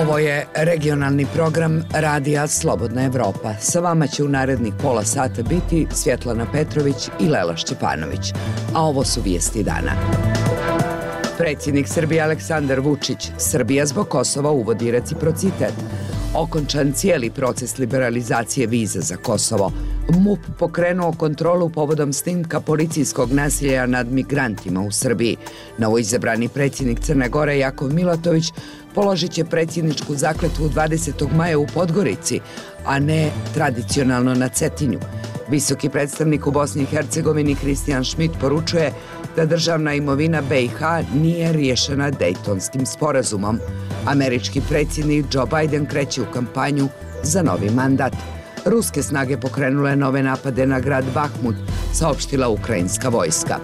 Ovo je regionalni program Radija Slobodna Evropa. Sa vama će u narednih pola sata biti Svjetlana Petrović i Lela Šćepanović. A ovo su vijesti dana. Predsjednik Srbije Aleksandar Vučić, Srbija zbog Kosova uvodi reciprocitet. Okončan cijeli proces liberalizacije viza za Kosovo. MUP pokrenuo kontrolu povodom snimka policijskog nasilja nad migrantima u Srbiji. Novoizabrani predsjednik Crne Gore Jakov Milatović položit će predsjedničku zakletvu 20. maja u Podgorici, a ne tradicionalno na Cetinju. Visoki predstavnik u Bosni i Hercegovini Kristijan Šmit poručuje da državna imovina BiH nije riješena Dejtonskim sporazumom. Američki predsjednik Joe Biden kreće u kampanju za novi mandat. Ruske snage pokrenule nove napade na grad Bahmut, saopštila ukrajinska vojska.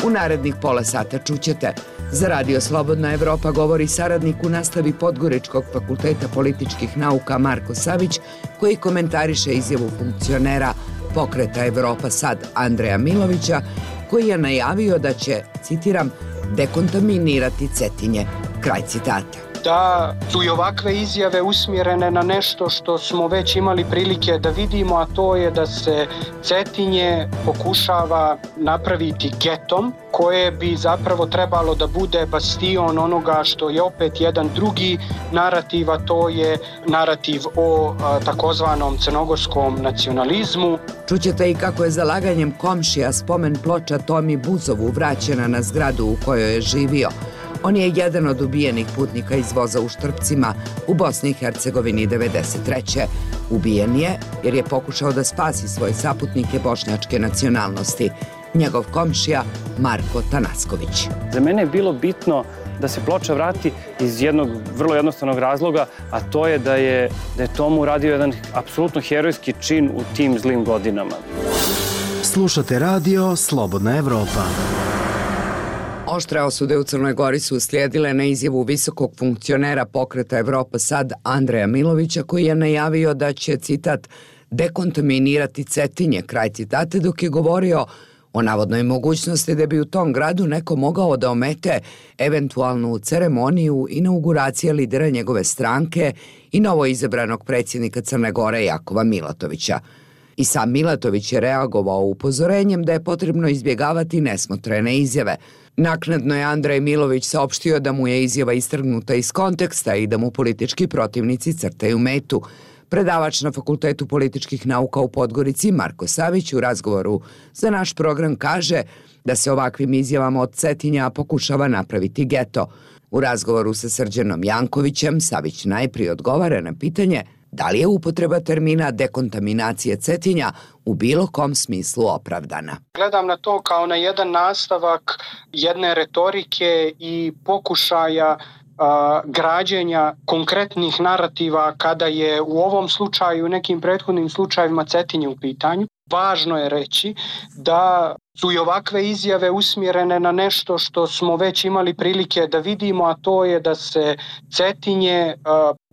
U narednih pola sata čućete: za Radio Slobodna Evropa govori saradnik u nastavi Podgoričkog fakulteta političkih nauka Marko Savić, koji komentariše izjavu funkcionera Pokreta Evropa Sad Andreja Milovića, koji je najavio da će, citiram, dekontaminirati Cetinje. Kraj citata. Da su i ovakve izjave usmjerene na nešto što smo već imali prilike da vidimo, a to je da se Cetinje pokušava napraviti getom koje bi zapravo trebalo da bude bastion onoga što je opet jedan drugi narativ, a to je narativ o takozvanom crnogorskom nacionalizmu. Čućete i kako je zalaganjem komšija spomen ploča Tomi Buzovu vraćena na zgradu u kojoj je živio. On je jedan od ubijenih putnika iz voza u Štrpcima u Bosni i Hercegovini 1993. Ubijen je jer je pokušao da spasi svoje saputnike bošnjačke nacionalnosti. Njegov komšija Marko Tanasković. Za mene je bilo bitno da se ploča vrati iz jednog vrlo jednostavnog razloga, a to je da je Tomu uradio jedan apsolutno herojski čin u tim zlim godinama. Slušate radio Slobodna Evropa. Oštre osude u Crnoj Gori su uslijedile na izjavu visokog funkcionera Pokreta Evropa Sad Andreja Milovića, koji je najavio da će, citat, dekontaminirati Cetinje, kraj citate, dok je govorio o navodnoj mogućnosti da bi u tom gradu neko mogao da omete eventualnu ceremoniju inauguracije lidera njegove stranke i novoizabranog predsjednika Crne Gore Jakova Milatovića. I sam Milatović je reagovao upozorenjem da je potrebno izbjegavati nesmotrene izjave. Naknadno je Andrej Milović saopštio da mu je izjava istrgnuta iz konteksta i da mu politički protivnici crtaju metu. Predavač na Fakultetu političkih nauka u Podgorici Marko Savić u razgovoru za naš program kaže da se ovakvim izjavama od Cetinja pokušava napraviti geto. U razgovoru sa Srđanom Jankovićem Savić najprije odgovara na pitanje da li je upotreba termina dekontaminacije Cetinja u bilo kom smislu opravdana. Gledam na to kao na jedan nastavak jedne retorike i pokušaja građenja konkretnih narativa kada je u ovom slučaju i nekim prethodnim slučajevima Cetinje u pitanju. Važno je reći da su i ovakve izjave usmjerene na nešto što smo već imali prilike da vidimo, a to je da se Cetinje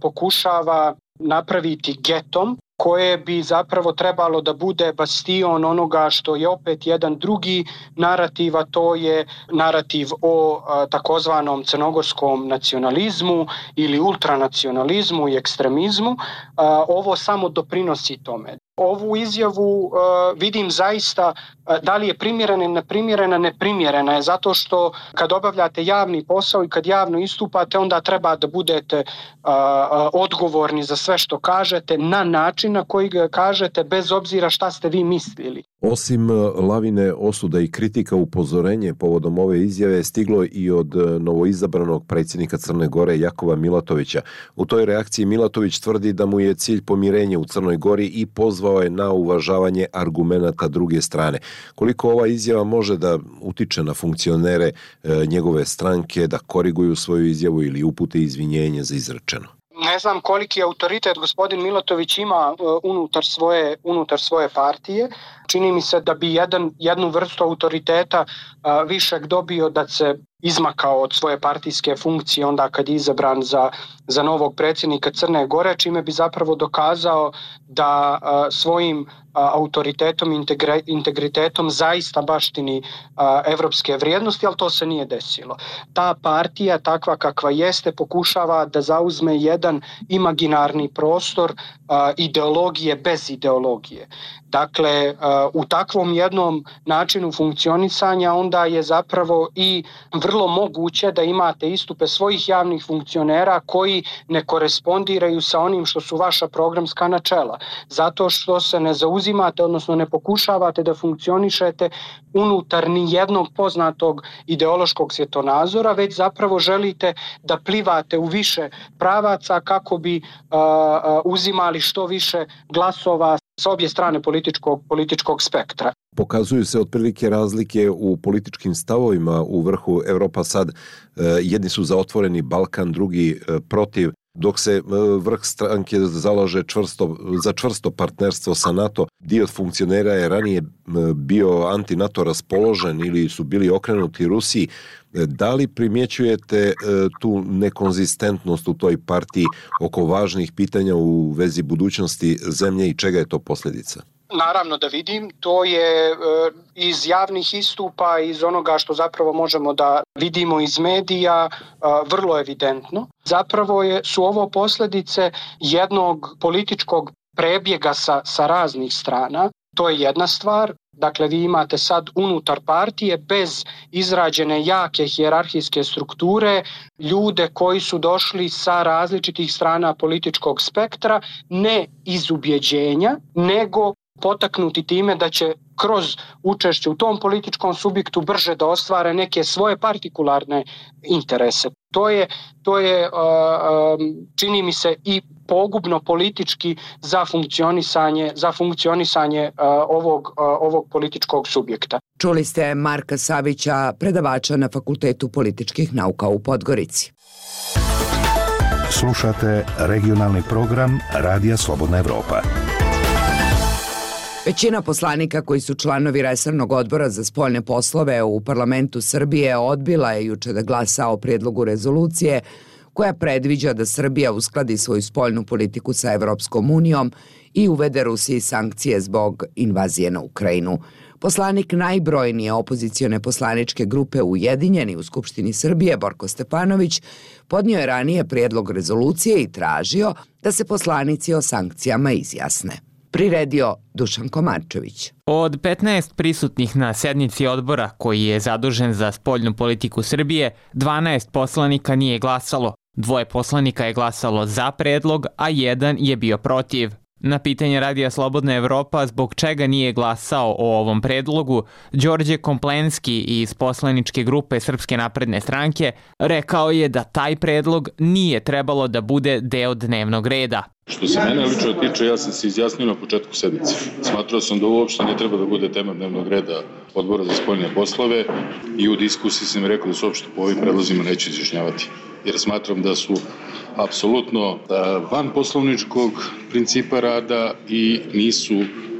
pokušava napraviti getom koje bi zapravo trebalo da bude bastion onoga što je opet jedan drugi narativ, a to je narativ o takozvanom crnogorskom nacionalizmu ili ultranacionalizmu i ekstremizmu. Ovo samo doprinosi tome. Ovu izjavu vidim zaista da li je primjerena ili neprimjerena. Neprimjerena je zato što kad obavljate javni posao i kad javno istupate, onda treba da budete odgovorni za sve što kažete na način na koji ga kažete, bez obzira šta ste vi mislili. Osim lavine osuda i kritika, upozorenje povodom ove izjave je stiglo i od novoizabranog predsjednika Crne Gore Jakova Milatovića. U toj reakciji Milatović tvrdi da mu je cilj pomirenje u Crnoj Gori i pozvao je na uvažavanje argumenata druge strane. Koliko ova izjava može da utiče na funkcionere njegove stranke da koriguju svoju izjavu ili upute izvinjenje za izrečeno? Ne znam koliki autoritet gospodin Milatović ima unutar svoje partije. Čini mi se da bi jednu vrstu autoriteta višeg dobio da se izmakao od svoje partijske funkcije onda kad je izabran za novog predsjednika Crne Gore, čime bi zapravo dokazao da svojim autoritetom i integritetom zaista baštini evropske vrijednosti, ali to se nije desilo. Ta partija, takva kakva jeste, pokušava da zauzme jedan imaginarni prostor ideologije bez ideologije. Dakle, u takvom jednom načinu funkcionisanja onda je zapravo i vrlo moguće da imate istupe svojih javnih funkcionera koji ne korespondiraju sa onim što su vaša programska načela. Zato što se ne zauzimate, odnosno ne pokušavate da funkcionišete unutar ni jednog poznatog ideološkog svjetonazora, već zapravo želite da plivate u više pravaca kako bi uzimali što više glasova s obje strane političkog spektra. Pokazuju se otprilike razlike u političkim stavovima u vrhu Evropa sad. Jedni su za otvoreni Balkan, drugi protiv, dok se vrh stranke zalaže za čvrsto partnerstvo sa NATO. Dio funkcionera je ranije bio anti-NATO raspoložen ili su bili okrenuti Rusiji. Da li primjećujete tu nekonzistentnost u toj partiji oko važnih pitanja u vezi budućnosti zemlje i čega je to posljedica? Naravno da vidim, to je iz javnih istupa, iz onoga što zapravo možemo da vidimo iz medija, vrlo evidentno. Zapravo su ovo posljedice jednog političkog prebjega sa raznih strana. To je jedna stvar. Dakle, vi imate sad unutar partije bez izrađene jake hijerarhijske strukture ljude koji su došli sa različitih strana političkog spektra, ne iz ubjeđenja, nego potaknuti time da će kroz učešće u tom političkom subjektu brže da ostvare neke svoje partikularne interese. To je čini mi se i pogubno politički za funkcionisanje ovog političkog subjekta. Čuli ste Marka Savića, predavača na Fakultetu političkih nauka u Podgorici. Slušate regionalni program Radija Slobodna Evropa. Većina poslanika koji su članovi resornog odbora za spoljne poslove u parlamentu Srbije odbila je juče da glasa o prijedlogu rezolucije koja predviđa da Srbija uskladi svoju spoljnu politiku sa Evropskom unijom i uvede Rusiji sankcije zbog invazije na Ukrajinu. Poslanik najbrojnije opozicione poslaničke grupe Ujedinjeni u Skupštini Srbije, Borko Stefanović, podnio je ranije prijedlog rezolucije i tražio da se poslanici o sankcijama izjasne. Priredio Dušan Komarčević. Od 15 prisutnih na sednici odbora koji je zadužen za spoljnu politiku Srbije, 12 poslanika nije glasalo. 2 poslanika je glasalo za predlog, a 1 je bio protiv. Na pitanje Radija Slobodna Evropa zbog čega nije glasao o ovom predlogu, Đorđe Komplenski iz poslaničke grupe Srpske napredne stranke rekao je da taj predlog nije trebalo da bude deo dnevnog reda. Što se mene lično tiče, ja sam se izjasnio na početku sednice. Smatrao sam da uopšte ne treba da bude tema dnevnog reda odbora za spoljne poslove i u diskusiji sam rekao da se uopšte po ovim predlozima neće izjašnjavati. Jer smatram da su apsolutno van poslovničkog principa rada i nisu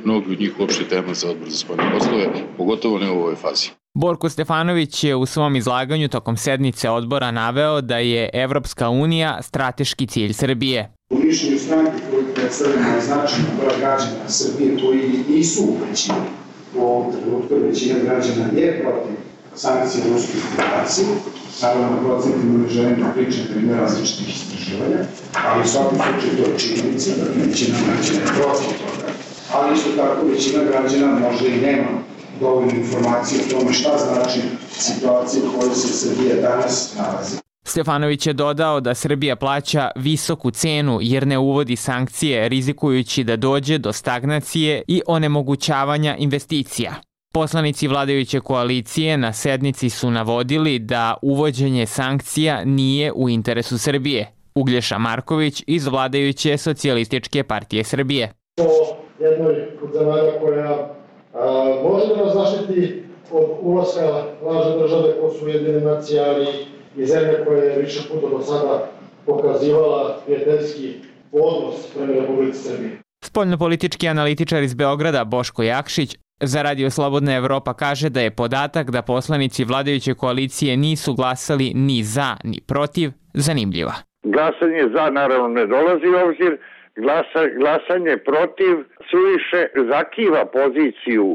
mnogi od njih uopšte tema za odbor za spoljne poslove, pogotovo ne u ovoj fazi. Borko Stefanović je u svom izlaganju tokom sednice odbora naveo da je Evropska unija strateški cilj Srbije. U mišljenju stranke koji predstavljamo značajno broj građana Srbije koji nisu u većini, u ovom trenutku većina građana je protiv sankcije Ruske federacije. Naravno, procentima ne želim da pričam primjer različitih istraživanja, ali u svakom slučaju to je činjenica, da većina građana je protiv toga. Ali isto tako većina građana možda i nema dovoljnu informaciju o tome šta znači situacija u kojoj se Srbija danas nalazi. Stefanović je dodao da Srbija plaća visoku cenu jer ne uvodi sankcije, rizikujući da dođe do stagnacije i onemogućavanja investicija. Poslanici vladajuće koalicije na sednici su navodili da uvođenje sankcija nije u interesu Srbije. Uglješa Marković iz vladajuće Socijalističke partije Srbije. To jednoj od zemalja koja može da nas zaštiti od ulaska lažne države ko su Ujedinjene nacije, ali i zemlje koja je više puta do sada pokazivala prijateljski odnos prema Republici Srbiji. Spoljnopolitički analitičar iz Beograda Boško Jakšić Za Radio Slobodna Evropa kaže da je podatak da poslanici vladajuće koalicije nisu glasali ni za ni protiv zanimljiva. Glasanje za naravno ne dolazi u obzir, glasanje protiv suviše zakiva poziciju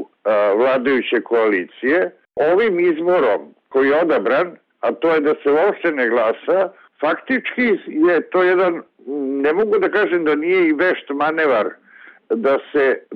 vladajuće koalicije. Ovim izborom koji je odabran, a to je da se uopšte ne glasa, faktički je to jedan, ne mogu da kažem da nije i vešt manevar,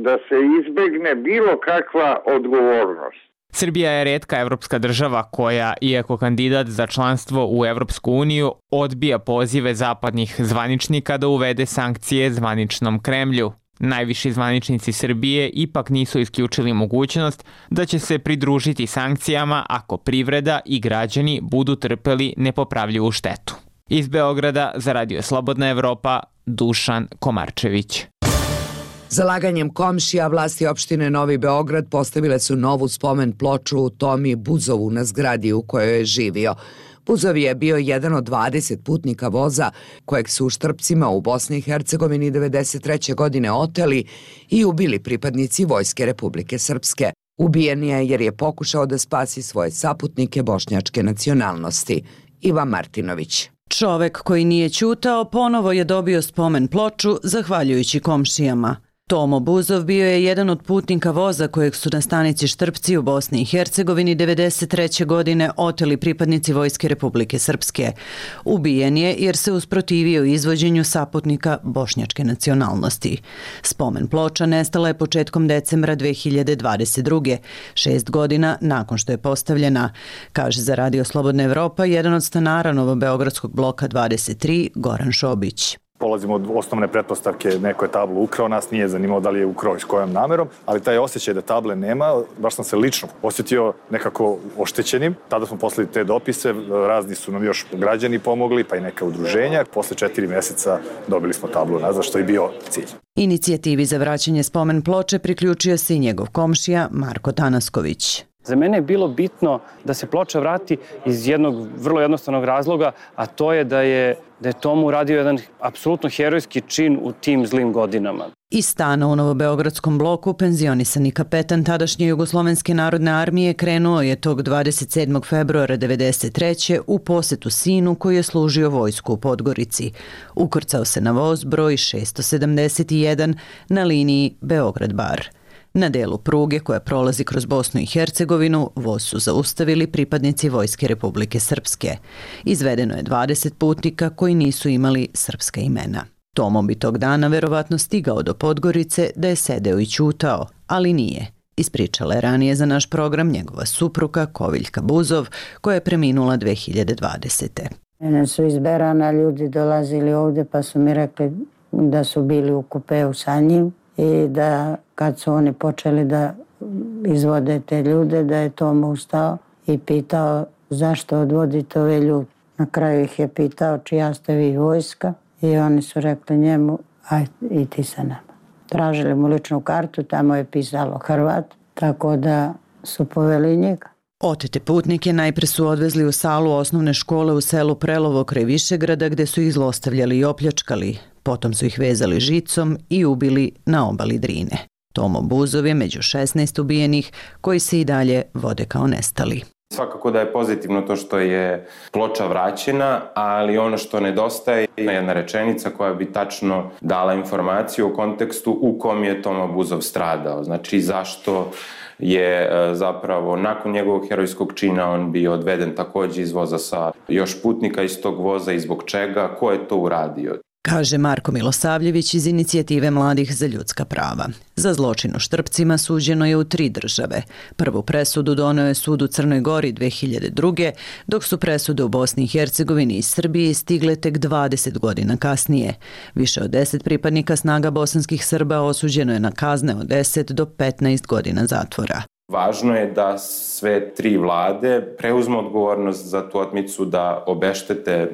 da se izbegne bilo kakva odgovornost. Srbija je retka evropska država koja, iako kandidat za članstvo u Evropsku uniju, odbija pozive zapadnih zvaničnika da uvede sankcije zvaničnom Kremlju. Najviši zvaničnici Srbije ipak nisu isključili mogućnost da će se pridružiti sankcijama ako privreda i građani budu trpeli nepopravljivu štetu. Iz Beograda za Radio Slobodna Evropa, Dušan Komarčević. Zalaganjem komšija vlasti opštine Novi Beograd postavile su novu spomen ploču u Tomi Buzovu na zgradi u kojoj je živio. Buzov je bio jedan od 20 putnika voza kojeg su u Štrpcima u Bosni i Hercegovini 1993. godine oteli i ubili pripadnici Vojske Republike Srpske. Ubijen je jer je pokušao da spasi svoje saputnike bošnjačke nacionalnosti. Ivan Martinović. Čovek koji nije ćutao ponovo je dobio spomen ploču zahvaljujući komšijama. Tomo Buzov bio je jedan od putnika voza kojeg su na stanici Štrpci u Bosni i Hercegovini 1993. godine oteli pripadnici Vojske Republike Srpske. Ubijen je jer se usprotivio izvođenju saputnika bošnjačke nacionalnosti. Spomen ploča nestala je početkom decembra 2022. 6 godina nakon što je postavljena, kaže za Radio Slobodna Evropa jedan od stanara Novobeogradskog bloka 23, Goran Šobić. Polazimo od osnovne pretpostavke, neko je tablu ukrao, nas nije zanimalo da li je ukrao i s kojom namerom, ali taj osjećaj da table nema, baš sam se lično osjetio nekako oštećenim. Tada smo poslali te dopise, razni su nam još građani pomogli, pa i neka udruženja. Posle 4 meseca dobili smo tablu nazad, što je bio cilj. Inicijativi za vraćanje spomen ploče priključio se i njegov komšija Marko Tanasković. Za mene je bilo bitno da se ploča vrati iz jednog vrlo jednostavnog razloga, a to je da je Tomu uradio jedan apsolutno herojski čin u tim zlim godinama. Iz stana u Novobeogradskom bloku penzionisani kapetan tadašnje Jugoslovenske narodne armije krenuo je tog 27. februara 1993. u posetu sinu koji je služio vojsku u Podgorici. Ukrcao se na voz broj 671 na liniji Beograd-Bar. Na delu pruge koja prolazi kroz Bosnu i Hercegovinu voz su zaustavili pripadnici Vojske Republike Srpske. Izvedeno je 20 putnika koji nisu imali srpska imena. Tomo bi tog dana verovatno stigao do Podgorice da je sedeo i ćutao, ali nije. Ispričala je ranije za naš program njegova supruga Koviljka Buzov, koja je preminula 2020. Mene su iz Berana ljudi dolazili ovde pa su mi rekli da su bili u kupeu sa njim i da kad su oni počeli da izvode te ljude, da je Tomo ustao i pitao zašto odvodite ove ljude. Na kraju ih je pitao čija ste vi vojska i oni su rekli njemu aj i ti sa nama. Tražili mu ličnu kartu, tamo je pisalo Hrvat, tako da su poveli njega. Otete putnike najpre su odvezli u salu osnovne škole u selu Prelovo kraj Višegrada gde su ih zlostavljali i opljačkali. Potom su ih vezali žicom i ubili na obali Drine. Tomo Buzov je među 16 ubijenih koji se i dalje vode kao nestali. Svakako da je pozitivno to što je ploča vraćena, ali ono što nedostaje je jedna rečenica koja bi tačno dala informaciju o kontekstu u kom je Tomo Buzov stradao. Znači zašto je zapravo nakon njegovog herojskog čina on bio odveden takođe iz voza sa još putnika iz tog voza i zbog čega, ko je to uradio. Kaže Marko Milosavljević iz Inicijative mladih za ljudska prava. Za zločin u Štrpcima suđeno je u 3 države. Prvu presudu doneo je sud u Crnoj Gori 2002. dok su presude u Bosni i Hercegovini i Srbiji stigle tek 20 godina kasnije. Više od 10 pripadnika snaga bosanskih Srba osuđeno je na kazne od 10 do 15 godina zatvora. Važno je da sve 3 vlade preuzmu odgovornost za tu otmicu, da obeštete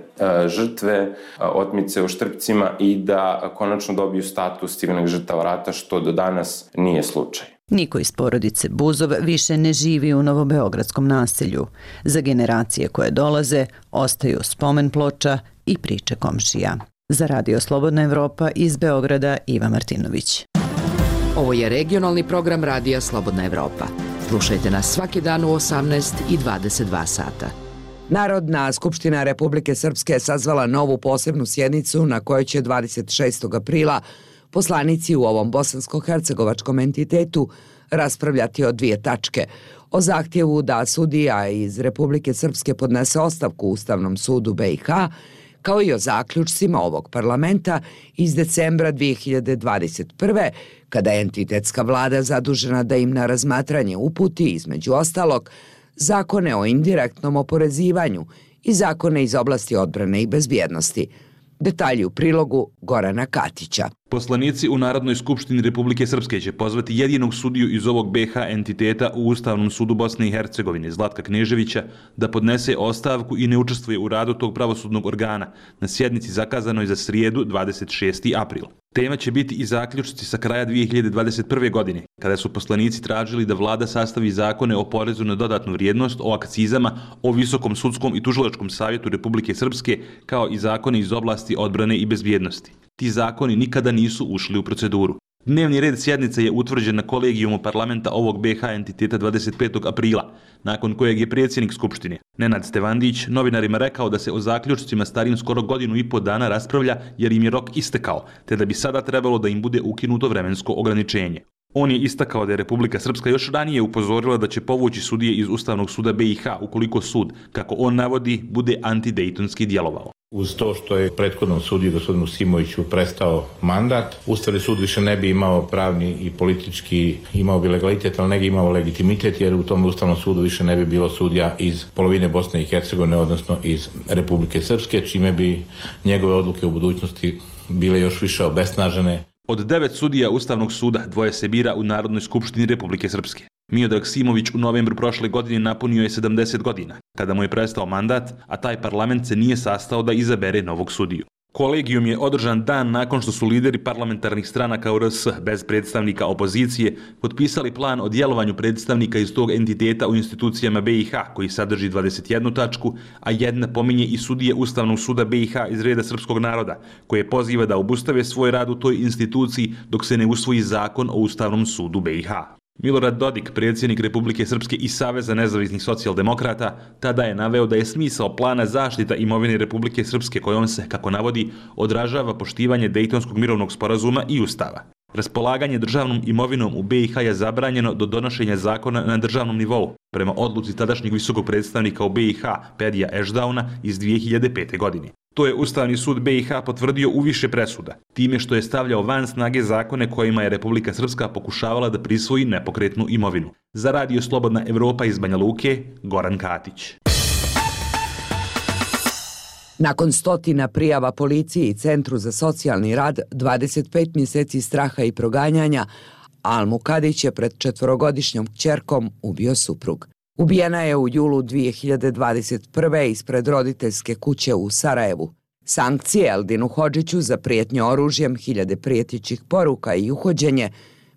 žrtve otmice u Štrpcima i da konačno dobiju status civilnih žrtava rata, što do danas nije slučaj. Niko iz porodice Buzov više ne živi u Novobeogradskom naselju. Za generacije koje dolaze ostaju spomen ploča i priče komšija. Za Radio Slobodna Evropa iz Beograda, Iva Martinović. Ovo je regionalni program Radija Slobodna Evropa. Slušajte nas svaki dan u 18 i 22 sata. Narodna skupština Republike Srpske je sazvala novu posebnu sjednicu na kojoj će 26. aprila poslanici u ovom bosansko-hercegovačkom entitetu raspravljati o dvije tačke. O zahtjevu da sudija iz Republike Srpske podnese ostavku Ustavnom sudu BiH, kao i o zaključcima ovog parlamenta iz decembra 2021. kada je entitetska vlada zadužena da im na razmatranje uputi, između ostalog, zakone o indirektnom oporezivanju i zakone iz oblasti odbrane i bezbjednosti. Detalji u prilogu Gorana Katića. Poslanici u Narodnoj skupštini Republike Srpske će pozvati jedinog sudiju iz ovog BiH entiteta u Ustavnom sudu Bosne i Hercegovine, Zlatka Kneževića, da podnese ostavku i ne učestvuje u radu tog pravosudnog organa na sjednici zakazanoj za srijedu 26. april. Tema će biti i zaključci sa kraja 2021. godine, kada su poslanici tražili da vlada sastavi zakone o porezu na dodatnu vrijednost, o akcizama, o Visokom sudskom i tužilačkom savjetu Republike Srpske, kao i zakone iz oblasti odbrane i bezbjednosti. Ti zakoni nikada nisu ušli u proceduru. Dnevni red sjednice je utvrđen na kolegijumu parlamenta ovog BiH entiteta 25. aprila, nakon kojeg je predsjednik Skupštine, Nenad Stevandić, novinarima rekao da se o zaključcima starim skoro godinu i po dana raspravlja jer im je rok istekao, te da bi sada trebalo da im bude ukinuto vremensko ograničenje. On je istakao da je Republika Srpska još ranije upozorila da će povući sudije iz Ustavnog suda BiH ukoliko sud, kako on navodi, bude antidejtonski djelovao. Uz to što je prethodnom sudiju gospodinu Simoviću prestao mandat, Ustavni sud više ne bi imao pravni i politički, imao bi legalitet, ali ne bi imao legitimitet, jer u tom Ustavnom sudu više ne bi bilo sudija iz polovine Bosne i Hercegovine, odnosno iz Republike Srpske, čime bi njegove odluke u budućnosti bile još više obesnažene. Od 9 sudija Ustavnog suda 2 se bira u Narodnoj skupštini Republike Srpske. Miodrag Simović u novembru prošle godine napunio je 70 godina, kada mu je prestao mandat, a taj parlament se nije sastao da izabere novog sudiju. Kolegijum je održan dan nakon što su lideri parlamentarnih stranaka u RS bez predstavnika opozicije potpisali plan o djelovanju predstavnika iz tog entiteta u institucijama BiH, koji sadrži 21 tačku, a jedna pominje i sudije Ustavnog suda BiH iz reda srpskog naroda, koje poziva da obustave svoj rad u toj instituciji dok se ne usvoji zakon o Ustavnom sudu BiH. Milorad Dodik, predsjednik Republike Srpske i Saveza nezavisnih socijaldemokrata, tada je naveo da je smisao plana zaštita imovine Republike Srpske kojom se, kako navodi, odražava poštivanje Dejtonskog mirovnog sporazuma i Ustava. Raspolaganje državnom imovinom u BiH je zabranjeno do donošenja zakona na državnom nivou, prema odluci tadašnjeg visokog predstavnika u BiH, Pedija Ešdauna, iz 2005. godine. To je Ustavni sud BiH potvrdio u više presuda, time što je stavljao van snage zakone kojima je Republika Srpska pokušavala da prisvoji nepokretnu imovinu. Za Radio Slobodna Evropa iz Banja Luke, Goran Katić. Nakon stotina prijava policiji i Centru za socijalni rad, 25 mjeseci straha i proganjanja, Almu Kadić je pred 4-godišnjom kćerkom ubio suprug. Ubijena je u julu 2021. ispred roditeljske kuće u Sarajevu. Sankcije Eldinu Hodžiću za prijetnju oružjem, hiljade prijetećih poruka i uhođenje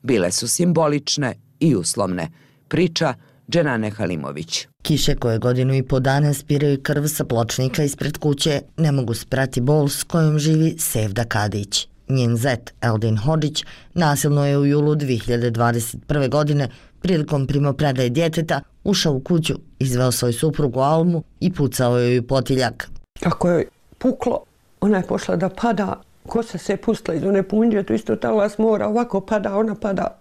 bile su simbolične i uslovne. Priča Dženane Halimović. Kiše koje godinu i po dana spiraju krv sa pločnika ispred kuće ne mogu sprati bol s kojom živi Sevda Kadić. Njen zet Eldin Hodžić nasilno je u julu 2021. godine prilikom primopredaje djeteta ušao u kuću, izveo svoju suprugu Almu i pucao joj u potiljak. Kako je puklo, ona je pošla da pada, kosa se pustila iz one punđe, to isto talas mora, ovako pada, ona pada.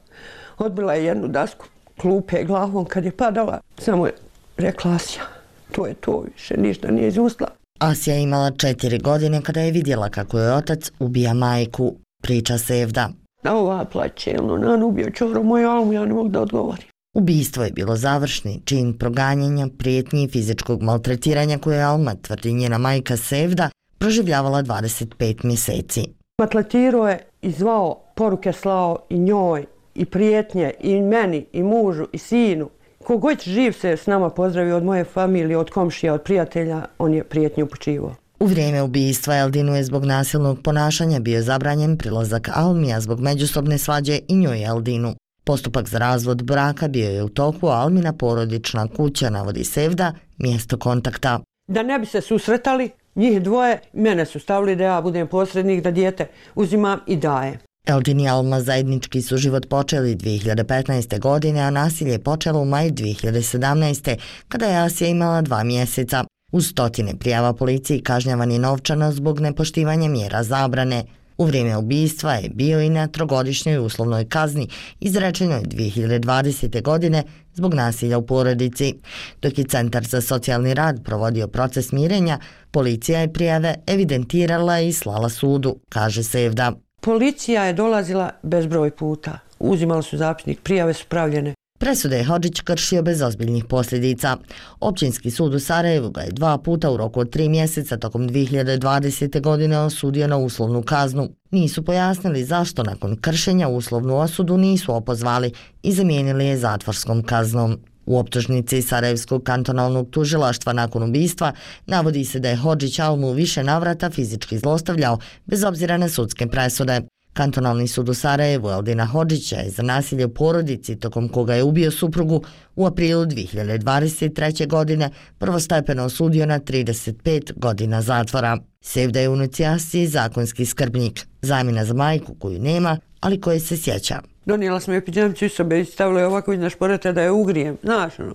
Odbila je jednu dasku klupe glavom kad je padala, samo je rekla Asija, to je to, više ništa nije izustila. Asija je imala 4 godine kada je vidjela kako je otac ubija majku, priča Sevda. Ova plaće, on ubio čoro moju Almu, ja ne mogu da odgovorim. Ubistvo je bilo završni čin proganjanja, prijetnji i fizičkog maltretiranja koje je Alma, tvrdi njena majka Sevda, proživljavala 25 mjeseci. Maltretirao je i zvao, poruke slao i njoj, i prijetnje, i meni, i mužu, i sinu. Kogod živ se s nama pozdravio od moje familije, od komšija, od prijatelja, on je prijetnju upućivao. U vrijeme ubistva Eldinu je zbog nasilnog ponašanja bio zabranjen prilazak Almija zbog međusobne svađe i njoj Eldinu. Postupak za razvod braka bio je u toku, a Almina porodična kuća, navodi Sevda, mjesto kontakta. Da ne bi se susretali, njih dvoje, mene su stavili da ja budem posrednik, da dijete uzimam i daje. Eldin i Alma zajednički su život počeli 2015. godine, a nasilje je počelo u maju 2017. kada je Asija imala 2 mjeseca. Uz stotine prijava policiji kažnjavan je novčano zbog nepoštivanja mjera zabrane. U vrijeme ubistva je bio i na 3-godišnjoj uslovnoj kazni, izrečenoj 2020. godine zbog nasilja u porodici. Dok je Centar za socijalni rad provodio proces mirenja, policija je prijave evidentirala i slala sudu, kaže Sevda. Policija je dolazila bezbroj puta. Uzimali su zapisnik, prijave su pravljene. Presude je Hodžić kršio bez ozbiljnih posljedica. Općinski sud u Sarajevu ga je 2 puta u roku od 3 mjeseca tokom 2020. godine osudio na uslovnu kaznu. Nisu pojasnili zašto nakon kršenja uslovnu osudu nisu opozvali i zamijenili je zatvorskom kaznom. U optužnici Sarajevskog kantonalnog tužilaštva nakon ubistva navodi se da je Hodžić Almu više navrata fizički zlostavljao bez obzira na sudske presude. Kantonalni sud u Sarajevu Eldina Hodžića je za nasilje u porodici tokom koga je ubio suprugu u aprilu 2023. godine prvostepeno osudio na 35 godina zatvora. Sevda je u inicijaciji zakonski skrbnik, zamjena za majku koju nema, ali koje se sjeća. Donijela sam je pidžamicu iz sobe i stavila je ovako iznad šporeta da je ugrijem. Znaš, ono.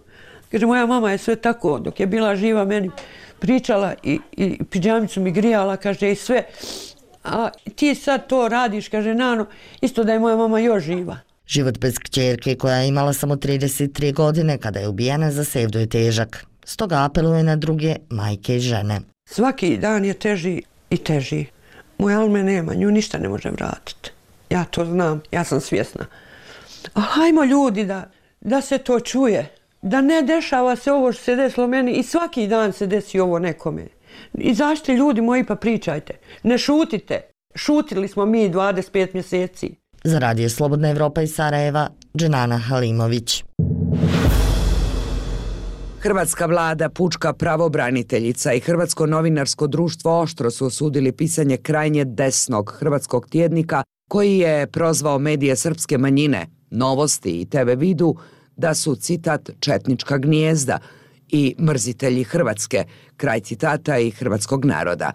Kaže, moja mama je sve tako, dok je bila živa meni pričala i pidžamicu mi grijala, kaže, i sve. A ti sad to radiš, kaže Nano, isto da je moja mama još živa. Život bez kćerke koja je imala samo 33 godine kada je ubijena za Sevdu je težak. Stoga apeluje na druge majke i žene. Svaki dan je teži i teži. Moja Alme nema, nju ništa ne može vratiti. Ja to znam, ja sam svjesna. Ali hajmo ljudi da se to čuje. Da ne dešava se ovo što se desilo meni i svaki dan se desi ovo nekome. Izađite ljudi moji pa pričajte. Ne šutite. Šutili smo mi 25 mjeseci. Za Radio Slobodna Evropa iz Sarajeva, Dženana Halimović. Hrvatska vlada, pučka pravobraniteljica i Hrvatsko novinarsko društvo oštro su osudili pisanje krajnje desnog hrvatskog tjednika koji je prozvao medije srpske manjine, Novosti i TV Vidu da su, citat, četnička gnijezda i mrzitelji Hrvatske, kraj citata, i hrvatskog naroda.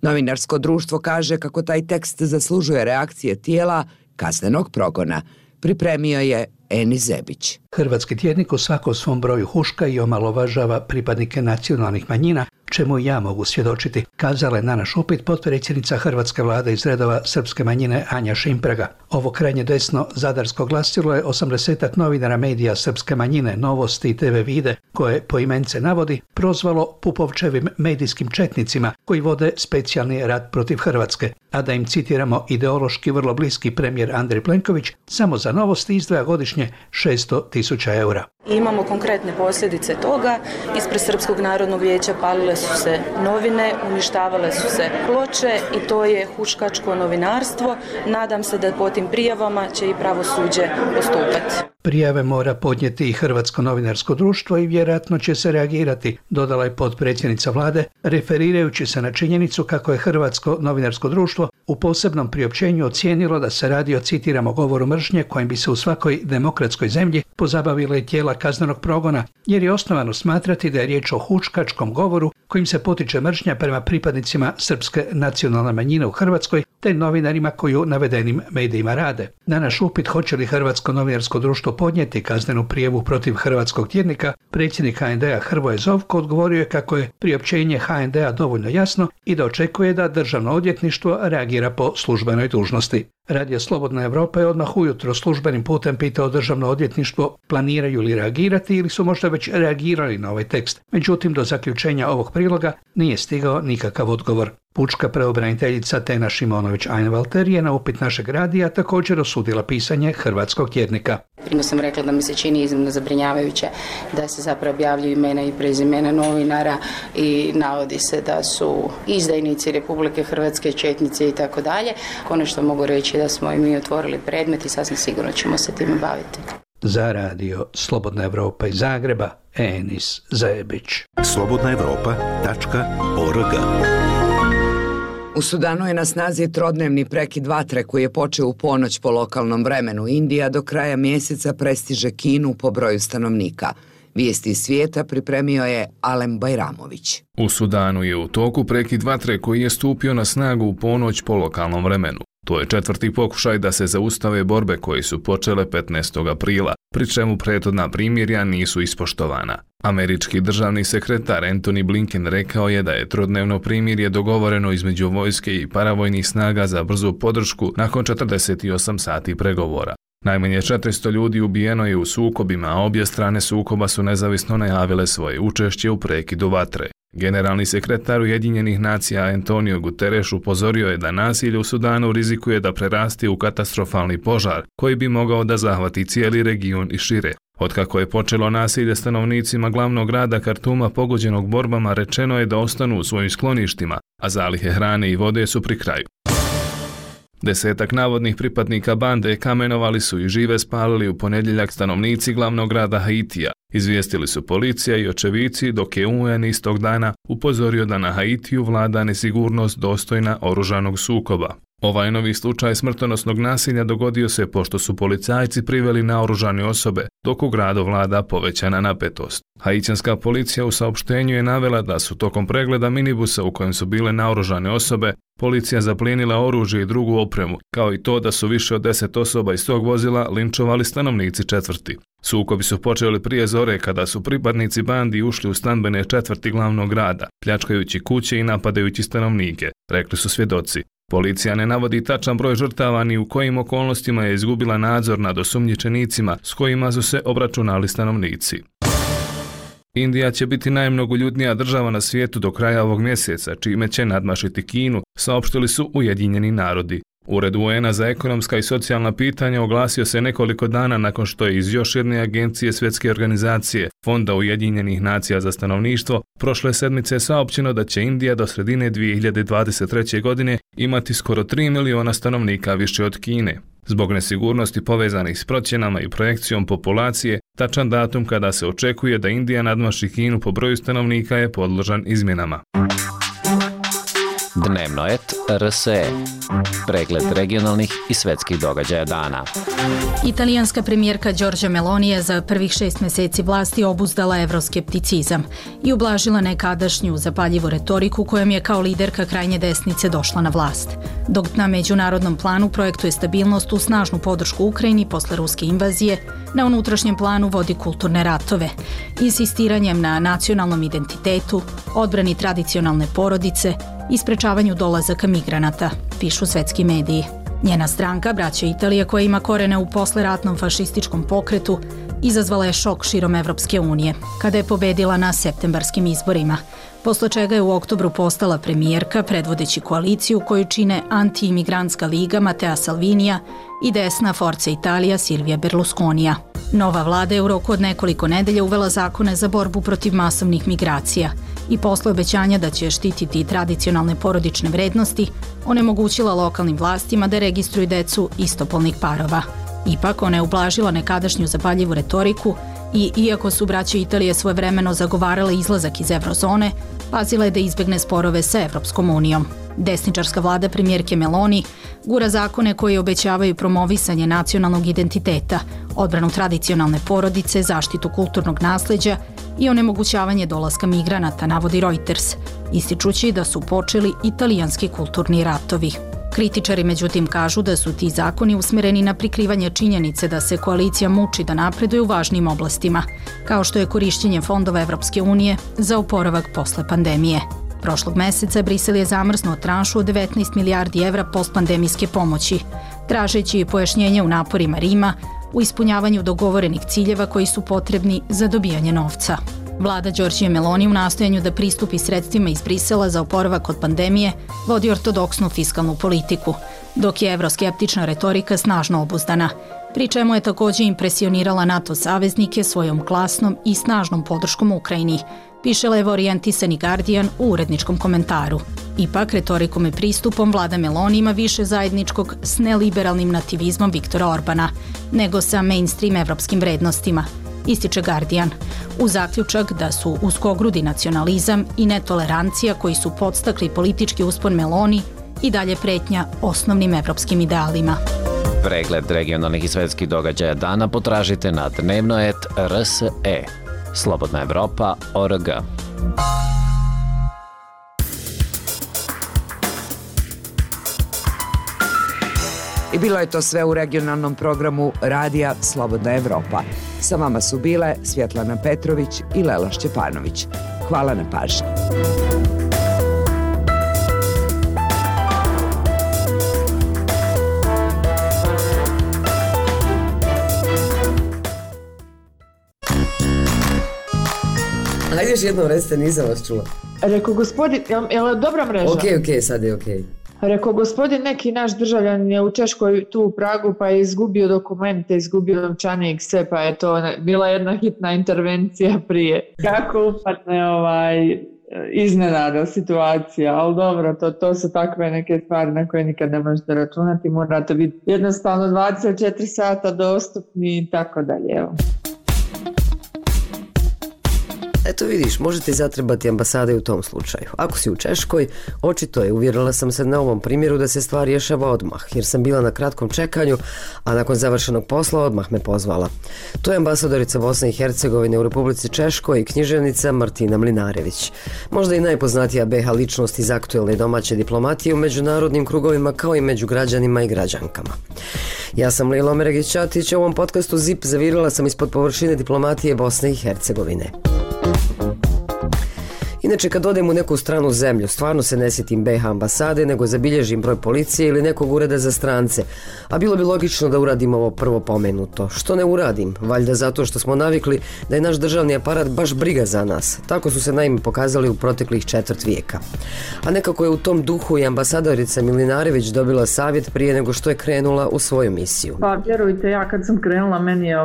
Novinarsko društvo kaže kako taj tekst zaslužuje reakcije tijela kaznenog progona. Pripremio je Eni Zebić. Hrvatski tjednik u svakom svom broju huška i omalovažava pripadnike nacionalnih manjina, čemu ja mogu svjedočiti, kazala je na naš upit potpredsjednica hrvatske vlade iz redova srpske manjine Anja Šimpraga. Ovo krajnje desno zadarsko glasilo je 80-ak novinara medija srpske manjine, Novosti i TV Vide, koje poimence navodi, prozvalo Pupovčevim medijskim četnicima koji vode specijalni rat protiv Hrvatske, a da im citiramo ideološki vrlo bliski premijer Andrej Plenković samo za Novosti izdvaja godišnje 600.000 eura. Imamo konkretne posljedice toga. Ispred Srpskog narodnog vijeća palile su se novine, uništavale su se ploče i to je huškačko novinarstvo. Nadam se da po tim prijavama će i pravosuđe postupati. Prijave mora podnijeti i Hrvatsko novinarsko društvo i vjerojatno će se reagirati, dodala je potpredsjednica vlade, referirajući se na činjenicu kako je Hrvatsko novinarsko društvo u posebnom priopćenju ocijenilo da se radi o, citiramo, govoru mržnje kojim bi se u svakoj demokratskoj zemlji pozabavila i tijela kaznenog progona, jer je osnovano smatrati da je riječ o huškačkom govoru kojim se potiče mržnja prema pripadnicima srpske nacionalne manjine u Hrvatskoj te novinarima koji u navedenim medijima rade. Na naš upit hoće li Hrvatsko novinarsko društvo podnijeti kaznenu prijavu protiv hrvatskog tjednika, predsjednik HND-a Hrvoje Zovko odgovorio je kako je priopćenje HND-a dovoljno jasno i da očekuje da Državno odvjetništvo reagira po službenoj dužnosti. Radio Slobodna Evropa je odmah ujutro službenim putem pitao Državno odvjetništvo planiraju li reagirati ili su možda već reagirali na ovaj tekst. Međutim, do zaključenja ovog priloga nije stigao nikakav odgovor. Pučka pravobraniteljica Tena Šimonović-Einwalter je na upit našeg radija također osudila pisanje hrvatskog tjednika. Primo sam rekla da mi se čini iznimno zabrinjavajuće da se zapravo objavljuju imena i prezimena novinara i navodi se da su izdajnici Republike Hrvatske, četnici i tako dalje. Konačno mogu reći da smo i mi otvorili predmet i sasvim sigurno ćemo se time baviti. Za radio Slobodna Evropa iz Zagreba, Enis Zebić. slobodnaevropa.org. U Sudanu je na snazi trodnevni prekid vatre koji je počeo u ponoć po lokalnom vremenu. Indija do kraja mjeseca prestiže Kinu po broju stanovnika. Vijesti iz svijeta pripremio je Alem Bajramović. U Sudanu je u toku prekid vatre koji je stupio na snagu u ponoć po lokalnom vremenu. To je 4. pokušaj da se zaustave borbe koje su počele 15. aprila, pri čemu prethodna primirja nisu ispoštovana. Američki državni sekretar Antony Blinken rekao je da je trodnevno primirje dogovoreno između vojske i paravojnih snaga za brzu podršku nakon 48 sati pregovora. Najmanje 400 ljudi ubijeno je u sukobima, a obje strane sukoba su nezavisno najavile svoje učešće u prekidu vatre. Generalni sekretar Ujedinjenih nacija Antonio Guterres upozorio je da nasilje u Sudanu rizikuje da prerasti u katastrofalni požar koji bi mogao da zahvati cijeli region i šire. Otkako je počelo nasilje stanovnicima glavnog grada Kartuma pogođenog borbama, rečeno je da ostanu u svojim skloništima, a zalihe hrane i vode su pri kraju. 10 navodnih pripadnika bande kamenovali su i žive spalili u ponedjeljak stanovnici glavnog grada Haitija. Izvijestili su policija i očevici, dok je UN istog dana upozorio da na Haitiju vlada nesigurnost dostojna oružanog sukoba. Ovaj novi slučaj smrtonosnog nasilja dogodio se pošto su policajci priveli naoružane osobe, dok u gradu vlada povećana napetost. Haitijanska policija u saopštenju je navela da su tokom pregleda minibusa u kojem su bile naoružane osobe, policija zaplijenila oružje i drugu opremu, kao i to da su više od 10 osoba iz tog vozila linčovali stanovnici četvrti. Sukobi su počeli prije zore kada su pripadnici bandi ušli u stambene četvrti glavnog grada, pljačkajući kuće i napadajući stanovnike, rekli su svjedoci. Policija ne navodi tačan broj žrtava ni u kojim okolnostima je izgubila nadzor nad osumnjičenicima s kojima su se obračunali stanovnici. Indija će biti najmnogoljudnija država na svijetu do kraja ovog mjeseca, čime će nadmašiti Kinu, saopštili su Ujedinjeni narodi. Ured UN-a za ekonomska i socijalna pitanja oglasio se nekoliko dana nakon što je iz još jedne agencije Svjetske organizacije, Fonda Ujedinjenih nacija za stanovništvo, prošle sedmice saopćeno da će Indija do sredine 2023. godine imati skoro 3 miliona stanovnika više od Kine. Zbog nesigurnosti povezanih s procjenama i projekcijom populacije, tačan datum kada se očekuje da Indija nadmaši Kinu po broju stanovnika je podložan izmjenama. Dnevnoet RSE. Pregled regionalnih i svetskih događaja dana. Italijanska premijerka Giorgia Meloni je za prvih 6 mjeseci vlasti obuzdala evroskepticizam i ublažila nekadašnju zapaljivu retoriku kojom je kao liderka krajnje desnice došla na vlast. Dok na međunarodnom planu projektuje stabilnost u snažnu podršku Ukrajini posle ruske invazije, na unutrašnjem planu vodi kulturne ratove, insistiranjem na nacionalnom identitetu, odbrani tradicionalne porodice i sprečavanju dolazaka migranata, pišu svetski mediji. Njena stranka, Braća Italije, koja ima korene u posleratnom fašističkom pokretu, izazvala je šok širom Evropske unije, kada je pobedila na septembarskim izborima, posle čega je u oktobru postala premijerka predvodeći koaliciju koju čine anti-imigrantska liga Matteo Salvinija i desna Forza Italia Silvija Berlusconija. Nova vlada je u roku od nekoliko nedelja uvela zakone za borbu protiv masovnih migracija i posle obećanja da će štititi tradicionalne porodične vrednosti, onemogućila lokalnim vlastima da registruju decu istopolnih parova. Ipak, ona je ublažila nekadašnju zapaljivu retoriku i, iako su Braća Italije svojevremeno zagovarale izlazak iz eurozone, pazila je da izbegne sporove sa Evropskom unijom. Desničarska vlada premijerke Meloni gura zakone koji obećavaju promovisanje nacionalnog identiteta, odbranu tradicionalne porodice, zaštitu kulturnog nasleđa i onemogućavanje dolaska migranata, navodi Reuters, ističući da su počeli italijanski kulturni ratovi. Kritičari međutim kažu da su ti zakoni usmereni na prikrivanje činjenice da se koalicija muči da napreduje u važnim oblastima, kao što je korišćenje fondova Evropske unije za oporavak posle pandemije. Prošlog meseca Brisel je zamrznuo tranšu od 19 milijardi evra postpandemijske pomoći, tražeći pojašnjenje u naporima Rima u ispunjavanju dogovorenih ciljeva koji su potrebni za dobijanje novca. Vlada Giorgie Meloni u nastojanju da pristupi sredstvima iz Brisela za oporavak od pandemije vodi ortodoksnu fiskalnu politiku, dok je evroskeptična retorika snažno obuzdana, pri čemu je također impresionirala NATO saveznike svojom glasnom i snažnom podrškom Ukrajini, piše levo orijentisani Guardian u uredničkom komentaru. Ipak, retorikom i pristupom vlada Meloni ima više zajedničkog s neliberalnim nativizmom Viktora Orbana, nego sa mainstream evropskim vrednostima, ističe Guardian, u zaključak da su uskogrudi nacionalizam i netolerancija koji su podstakli politički uspon Meloni i dalje pretnja osnovnim evropskim idealima. Pregled regionalnih i svetskih događaja dana potražite na Dnevnoet RSE. Slobodna Evropa.org. I bilo je to sve u regionalnom programu Radija Slobodna Evropa. Sa vama su bile Svjetlana Petrović i Lela Šćepanović. Hvala na pažnji. Ajde još jednom recite, nisam vas čula. Rekao gospodin, je li dobra mreža? Ok, sad je ok. Rekao gospodin, neki naš državljan je u Češkoj tu u Pragu pa je izgubio dokumente, izgubio novčanik, sve, pa je to bila jedna hitna intervencija prije. Kako upadne iznenada situacija, ali dobro, to su takve neke stvari na koje nikad ne možete računati, morate biti jednostavno 24 sata dostupni i tako dalje, evo. Eto vidiš, možete zatrebati ambasade u tom slučaju. Ako si u Češkoj, očito je, uvjerila sam se na ovom primjeru da se stvar rješava odmah, jer sam bila na kratkom čekanju, a nakon završenog posla odmah me pozvala. To je ambasadorica Bosne i Hercegovine u Republici Češkoj i književnica Martina Mlinarević. Možda i najpoznatija BiH ličnost iz aktuelne domaće diplomatije u međunarodnim krugovima kao i među građanima i građankama. Ja sam Lila Omeregić-Ćatić, a u ovom podcastu ZIP zavirila sam ispod površine diplomatije Bosne i Hercegovine. Inače, kad odem u neku stranu zemlju, stvarno se ne sjetim BiH ambasade, nego zabilježim broj policije ili nekog ureda za strance. A bilo bi logično da uradim ovo prvo pomenuto. Što ne uradim? Valjda zato što smo navikli da je naš državni aparat baš briga za nas. Tako su se naime pokazali u proteklih 4 vijeka. A nekako je u tom duhu i ambasadorica Mlinarević dobila savjet prije nego što je krenula u svoju misiju. Pa vjerujte, ja kad sam krenula, meni je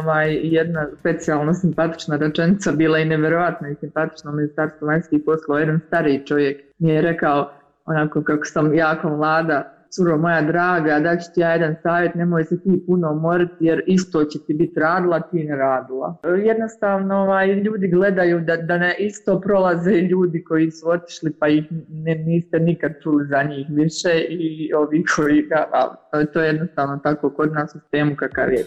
jedna specijalno simpatična rečenica bila i nevjerojatno i simpatično Ministarstvo vanjskih poslova. Jedan stariji čovjek mi je rekao, onako kako sam jako mlada, curo moja draga, da ću ti ja jedan savjet, nemoj se ti puno umoriti jer isto će ti biti radila, ti ne radila. Jednostavno ljudi gledaju da ne isto prolaze ljudi koji su otišli pa ih niste nikad čuli za njih više i ovi koji to je jednostavno tako kod nas u sistemu kakav je.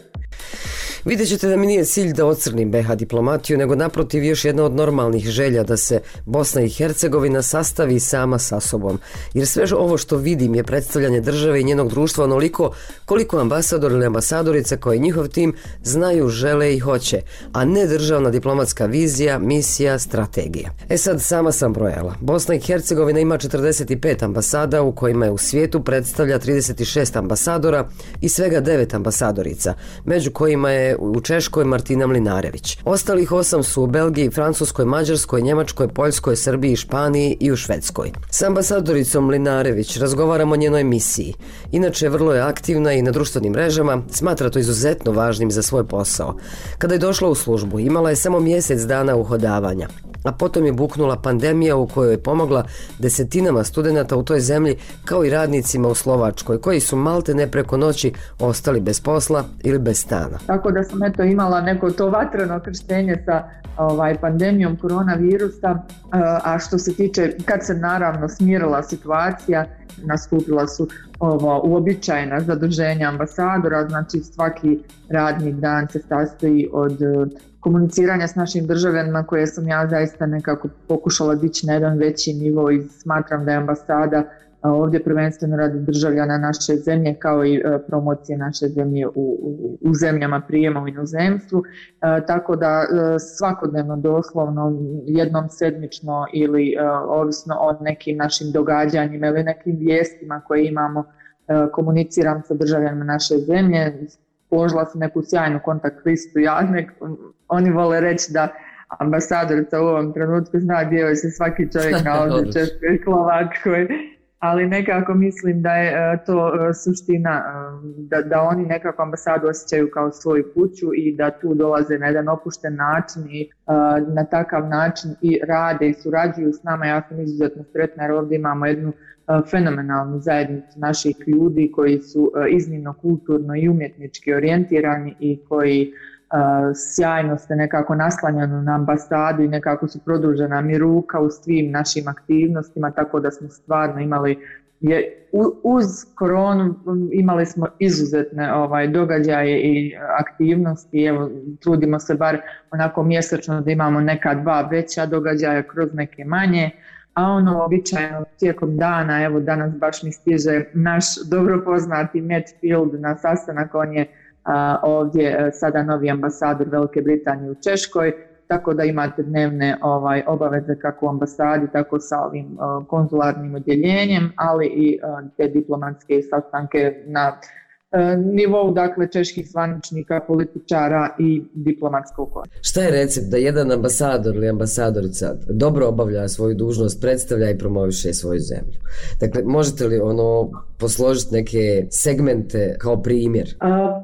Vidjet ćete da mi nije cilj da ocrnim BiH diplomatiju, nego naprotiv još jedna od normalnih želja da se Bosna i Hercegovina sastavi sama sa sobom. Jer sve ovo što vidim je predstavljanje države i njenog društva onoliko koliko ambasador ili ambasadorica koji njihov tim znaju, žele i hoće, a ne državna diplomatska vizija, misija, strategija. Sad sama sam brojala. Bosna i Hercegovina ima 45 ambasada u kojima je u svijetu predstavlja 36 ambasadora i svega 9 ambasadorica, među kojima je u Češkoj Martina Mlinarević. Ostalih 8 su u Belgiji, Francuskoj, Mađarskoj, Njemačkoj, Poljskoj, Srbiji, Španiji i u Švedskoj. S ambasadoricom Mlinarević razgovaramo o njenoj misiji. Inače, vrlo je aktivna i na društvenim mrežama, smatra to izuzetno važnim za svoj posao. Kada je došla u službu, imala je samo mjesec dana uhodavanja, a potom je buknula pandemija u kojoj je pomogla desetinama studenata u toj zemlji kao i radnicima u Slovačkoj koji su maltene preko noći ostali bez posla ili bez stana. Tako da sam imala neko to vatreno krštenje sa pandemijom koronavirusa, a što se tiče kad se naravno smirila situacija, nastupila su uobičajena zaduženja ambasadora, znači svaki radni dan se sastoji od komuniciranja s našim državljanima koje sam ja zaista nekako pokušala dići na jedan veći nivo i smatram da je ambasada ovdje prvenstveno radi državljana naše zemlje kao i promocije naše zemlje u zemljama prijema u inozemstvu, tako da svakodnevno doslovno jednom sedmično ili ovisno o nekim našim događanjima ili nekim vijestima koje imamo komuniciram sa državljanima naše zemlje. Položila sam neku sjajnu kontakt listu, oni vole reći da ambasadorica u ovom trenutku zna gdje joj se svaki čovjek nalazi, Češkoj i Slovačkoj, ali nekako mislim da je to suština, da oni nekako ambasadu osjećaju kao svoju kuću i da tu dolaze na jedan opušten način i na takav način i rade i surađuju s nama. Ja sam izuzetno sretna jer ovdje imamo jednu fenomenalnu zajednicu naših ljudi koji su iznimno kulturno i umjetnički orijentirani i koji sjajno se nekako naslanjano na ambasadu i nekako su produžena mi ruka u svim našim aktivnostima, tako da smo stvarno imali uz koronu imali smo izuzetne događaje i aktivnosti. Evo, trudimo se bar onako mjesečno da imamo neka 2 veća događaja kroz neke manje, a ono običajno tijekom dana, evo danas baš mi stiže naš dobro poznati Matt Field na sastanak, on je ovdje sada novi ambasador Velike Britanije u Češkoj, tako da imate dnevne obaveze kako u ambasadi, tako sa ovim konzularnim odjeljenjem, ali i te diplomatske sastanke na nivou, dakle, čeških zvaničnika, političara i diplomatskog kora. Šta je recept da jedan ambasador ili ambasadorica dobro obavlja svoju dužnost, predstavlja i promoviše svoju zemlju? Dakle, možete li posložiti neke segmente kao primjer?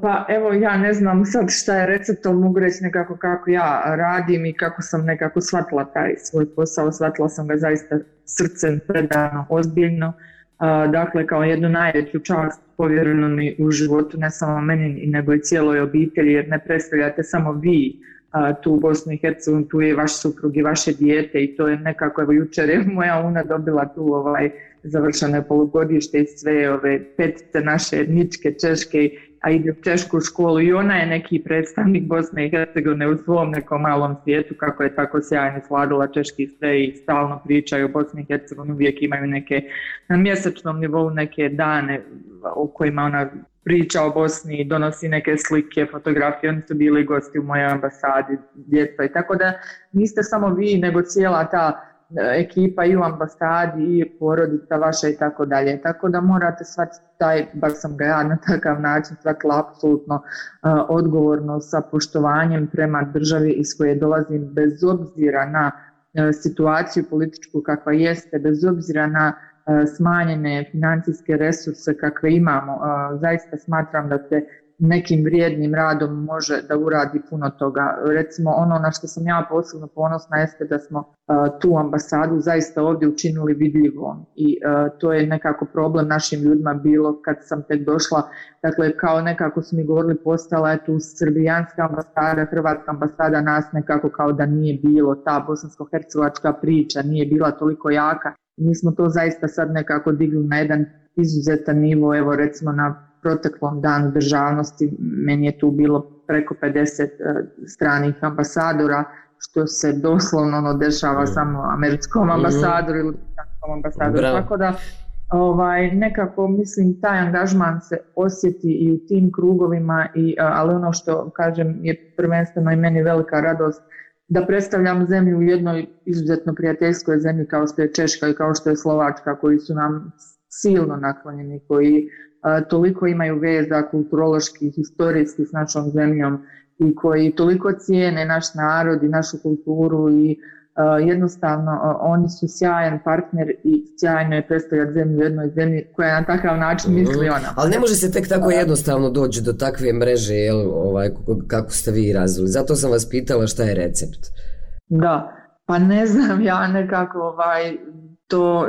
Pa evo, ja ne znam sad šta je recept, ali mogu reći nekako kako ja radim i kako sam nekako shvatila taj svoj posao. Shvatila sam ga zaista srcem, predano, ozbiljno. Dakle, kao jednu najveću čast povjerenu mi u životu, ne samo meni, nego i cijeloj obitelji, jer ne predstavljate samo vi tu u Bosnu i Hercegovini, tu je vaš suprug i vaše dijete i to je nekako, evo jučer je moja una dobila tu završeno polugodište i sve ove petice naše etničke češke, a ide u češku školu i ona je neki predstavnik Bosne i Hercegovine u svom nekom malom svijetu, kako je tako sjajno svladala češki sve i stalno pričaju o Bosni i Hercegovini, uvijek imaju neke na mjesečnom nivou neke dane u kojima ona priča o Bosni i donosi neke slike, fotografije, oni su bili gosti u mojoj ambasadi, djeca i tako da niste samo vi, nego cijela ta ekipa i u ambasadi i porodica vaša i tako dalje. Tako da morate shvatiti bar sam ga ja na takav način shvatila apsolutno odgovorno sa poštovanjem prema državi iz koje dolazim, bez obzira na situaciju političku kakva jeste, bez obzira na smanjene financijske resurse kakve imamo. Zaista smatram da se nekim vrijednim radom može da uradi puno toga. Recimo ono na što sam ja posebno ponosna jeste da smo tu ambasadu zaista ovdje učinili vidljivom i to je nekako problem našim ljudima bilo kad sam tek došla. Dakle, kao nekako su mi govorili postala je tu srbijanska ambasada, hrvatska ambasada, nas nekako kao da nije bilo, ta bosansko-hercegovačka priča nije bila toliko jaka. Mi smo to zaista sad nekako digli na jedan izuzetan nivo, evo recimo na proteklom danu državnosti meni je tu bilo preko 50 stranih ambasadora, što se doslovno dešava samo američkom ambasadoru ili britanskom ambasadoru. Tako da nekako mislim taj angažman se osjeti i u tim krugovima, ali ono što kažem je prvenstveno i meni velika radost da predstavljam zemlju u jednoj izuzetno prijateljskoj zemlji kao što je Češka i kao što je Slovačka, koji su nam silno naklonjeni, koji toliko imaju veza kulturološki, historijski s našom zemljom i koji toliko cijene naš narod i našu kulturu i jednostavno oni su sjajan partner i sjajno je predstavljati zemlju u jednoj zemlji koja na takav način misli ona. Ali ne može se tek tako jednostavno doći do takve mreže kako ste vi razvili. Zato sam vas pitala šta je recept. Da, pa ne znam, ja nekako to,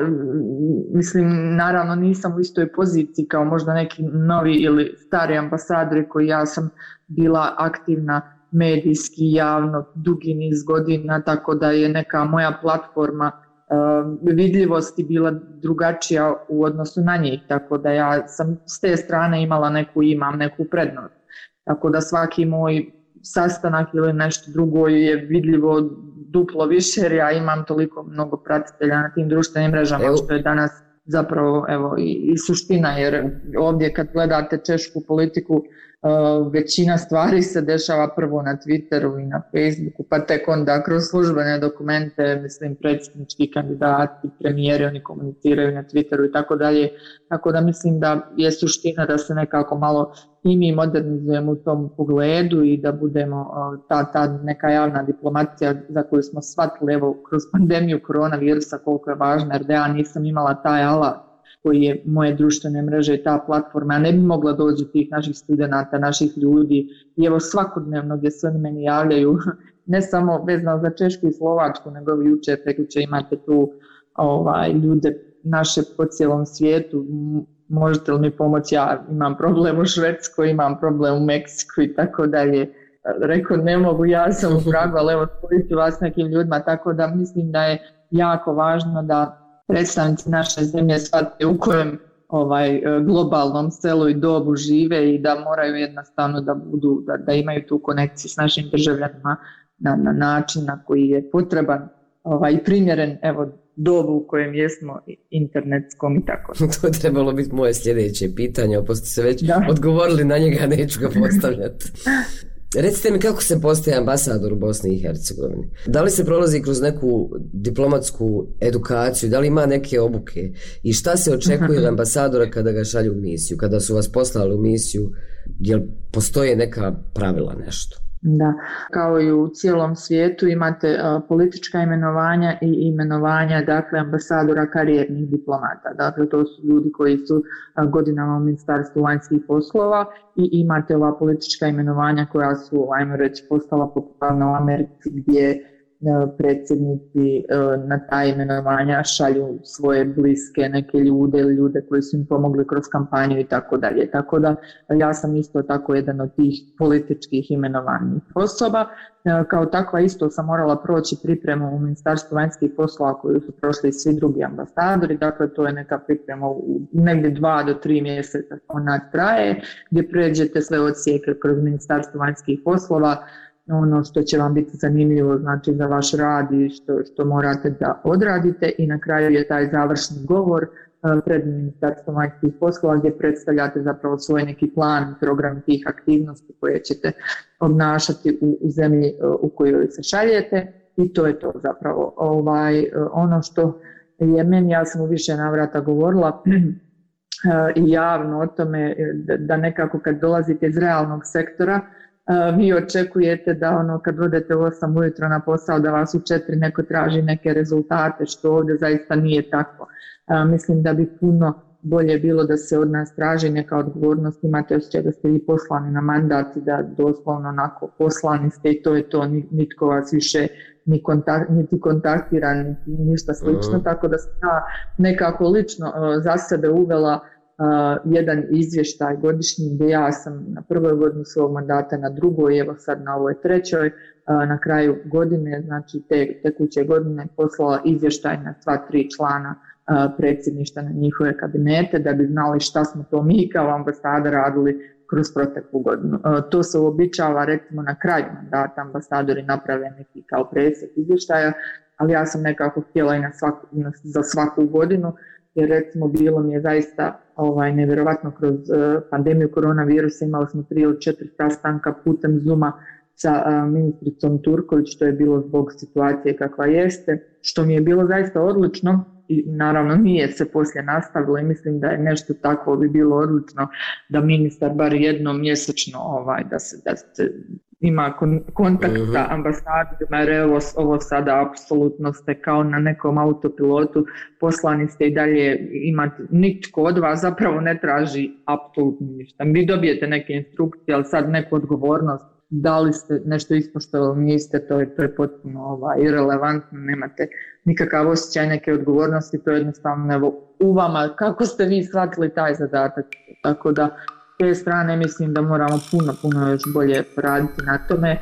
mislim, naravno nisam u istoj poziciji kao možda neki novi ili stari ambasadori koji ja sam bila aktivna medijski, javno, dugi niz godina, tako da je neka moja platforma vidljivosti bila drugačija u odnosu na njih, tako da ja sam s te strane imam neku prednost. Tako da svaki moj sastanak ili nešto drugo je vidljivo duplo više jer ja imam toliko mnogo pratitelja na tim društvenim mrežama što je danas zapravo i suština, jer ovdje kad gledate češku politiku većina stvari se dešava prvo na Twitteru i na Facebooku, pa tek onda kroz službene dokumente, mislim predsjednički kandidati, premijeri, oni komuniciraju na Twitteru i tako dalje, tako da mislim da je suština da se nekako malo i mi modernizujemo u tom pogledu i da budemo ta neka javna diplomacija za koju smo shvatili kroz pandemiju koronavirusa koliko je važna, jer da ja nisam imala taj alat koji je moje društvene mreže i ta platforma, a ne bi mogla doći tih naših studenata, naših ljudi i svakodnevno gdje se oni meni javljaju, ne samo vezano za Češku i Slovačku, nego jučer, prekjučer imate tu ljude naše po cijelom svijetu, možete li mi pomoći, ja imam problem u Švedskoj, imam problem u Meksiku i tako dalje. Rekao, ne mogu, ja sam u Pragu, ali spojiti vas nekim ljudima, tako da mislim da je jako važno da predstavnici naše zemlje shvate u kojem globalnom selu i dobu žive i da moraju jednostavno da imaju tu konekciju s našim državljanima na način na koji je potreban i primjeren dobu u kojem jesmo internetskom i tako. To je trebalo biti moje sljedeće pitanje, pošto ste već odgovorili na njega, neću ga postavljati. Recite mi kako se postaje ambasador u Bosni i Hercegovini? Da li se prolazi kroz neku diplomatsku edukaciju, da li ima neke obuke i šta se očekuje od ambasadora kada ga šalju u misiju, kada su vas poslali u misiju, jel postoje neka pravila nešto? Da, kao i u cijelom svijetu imate politička imenovanja i imenovanja, dakle, ambasadora karijernih diplomata. Dakle, to su ljudi koji su godinama u Ministarstvu vanjskih poslova i imate ova politička imenovanja koja su, ajmo reći, postala popularna u Americi gdje predsjednici na ta imenovanja šalju svoje bliske neke ljude ili ljude koji su im pomogli kroz kampanju i tako dalje. Tako da ja sam isto tako jedan od tih političkih imenovanih osoba. Kao takva isto sam morala proći pripremu u Ministarstvu vanjskih poslova koju su prošli svi drugi ambasadori. Dakle, to je neka priprema u negdje 2 do 3 mjeseca ona traje, gdje pređete sve odsjeke kroz Ministarstvo vanjskih poslova, ono što će vam biti zanimljivo, znači za vaš rad i što morate da odradite, i na kraju je taj završni govor pred Ministarstvom vanjskih poslova gdje predstavljate zapravo svoj neki plan, program tih aktivnosti koje ćete obnašati u zemlji u kojoj se šaljete, i to je to zapravo. Ono što je meni, ja sam u više navrata govorila i javno o tome, da nekako kad dolazite iz realnog sektora, vi očekujete da kad odete u 8 ujutro na posao da vas u 4 neko traži neke rezultate, što ovdje zaista nije tako. Mislim da bi puno bolje bilo da se od nas traži neka odgovornost, imate osjećaj da ste vi poslani na mandat i da doslovno onako poslani ste i to je to, nitko vas više niti kontaktira, niti ništa slično, tako da sam ja nekako lično za sebe uvela jedan izvještaj godišnji gdje ja sam na prvoj godini svog mandata, na drugoj, evo sad na ovoj trećoj, na kraju godine, znači te tekuće godine, poslala izvještaj na sva 3 člana predsjedništva na njihove kabinete, da bi znali šta smo to mi kao ambasada radili kroz proteklu godinu. To se uobičava, recimo na kraju mandata ambasadori naprave neki kao presjek izvještaja, ali ja sam nekako htjela i za svaku godinu, jer recimo bilo mi je zaista nevjerovatno kroz pandemiju koronavirusa, imali smo 3 ili 4 sastanka putem Zooma sa ministricom Turković, što je bilo zbog situacije kakva jeste, što mi je bilo zaista odlično i naravno nije se poslije nastavilo i mislim da je nešto takvo bi bilo odlično da ministar bar jednom mjesečno da se ima kontakt sa ambasadorima, jer ovo sada apsolutno ste kao na nekom autopilotu, poslani ste i dalje imate, nitko od vas zapravo ne traži apsolutno ništa. Vi dobijete neke instrukcije, ali sad neku odgovornost, da li ste nešto ispoštovali, niste, to je potpuno irelevantno, nemate nikakav osjećaj neke odgovornosti, to je jednostavno u vama, kako ste vi shvatili taj zadatak, tako da s te strane mislim da moramo puno još bolje poraditi na tome.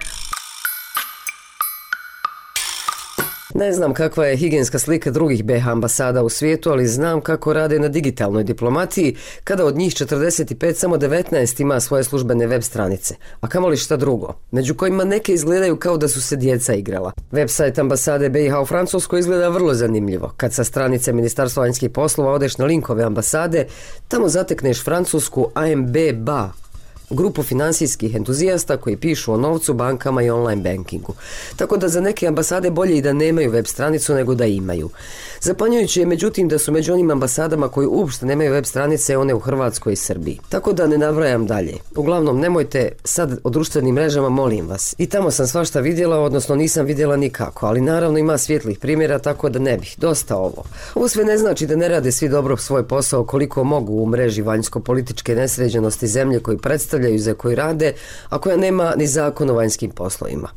Ne znam kakva je higijenska slika drugih BiH ambasada u svijetu, ali znam kako rade na digitalnoj diplomatiji, kada od njih 45 samo 19 ima svoje službene web stranice, a kamoli šta drugo, među kojima neke izgledaju kao da su se djeca igrala. Website ambasade BiH u Francuskoj izgleda vrlo zanimljivo. Kad sa stranice Ministarstva vanjskih poslova odeš na linkove ambasade, tamo zatekneš francusku AMB BA, grupu finansijskih entuzijasta koji pišu o novcu, bankama i online bankingu. Tako da za neke ambasade bolje i da nemaju web stranicu nego da imaju. Zapanjujuće je međutim da su među onim ambasadama koji uopšte nemaju web stranice one u Hrvatskoj i Srbiji. Tako da ne nabrajam dalje. Uglavnom nemojte sad o društvenim mrežama, molim vas. I tamo sam svašta vidjela, odnosno nisam vidjela nikako, ali naravno ima svijetlih primjera, tako da ne bih. Dosta ovo. Ovo sve ne znači da ne rade svi dobro svoj posao koliko mogu u mreži vanjsko-političke nesređenosti zemlje koji predstavljaju, za koji rade, a koja nema ni zakon o vanjskim poslovima.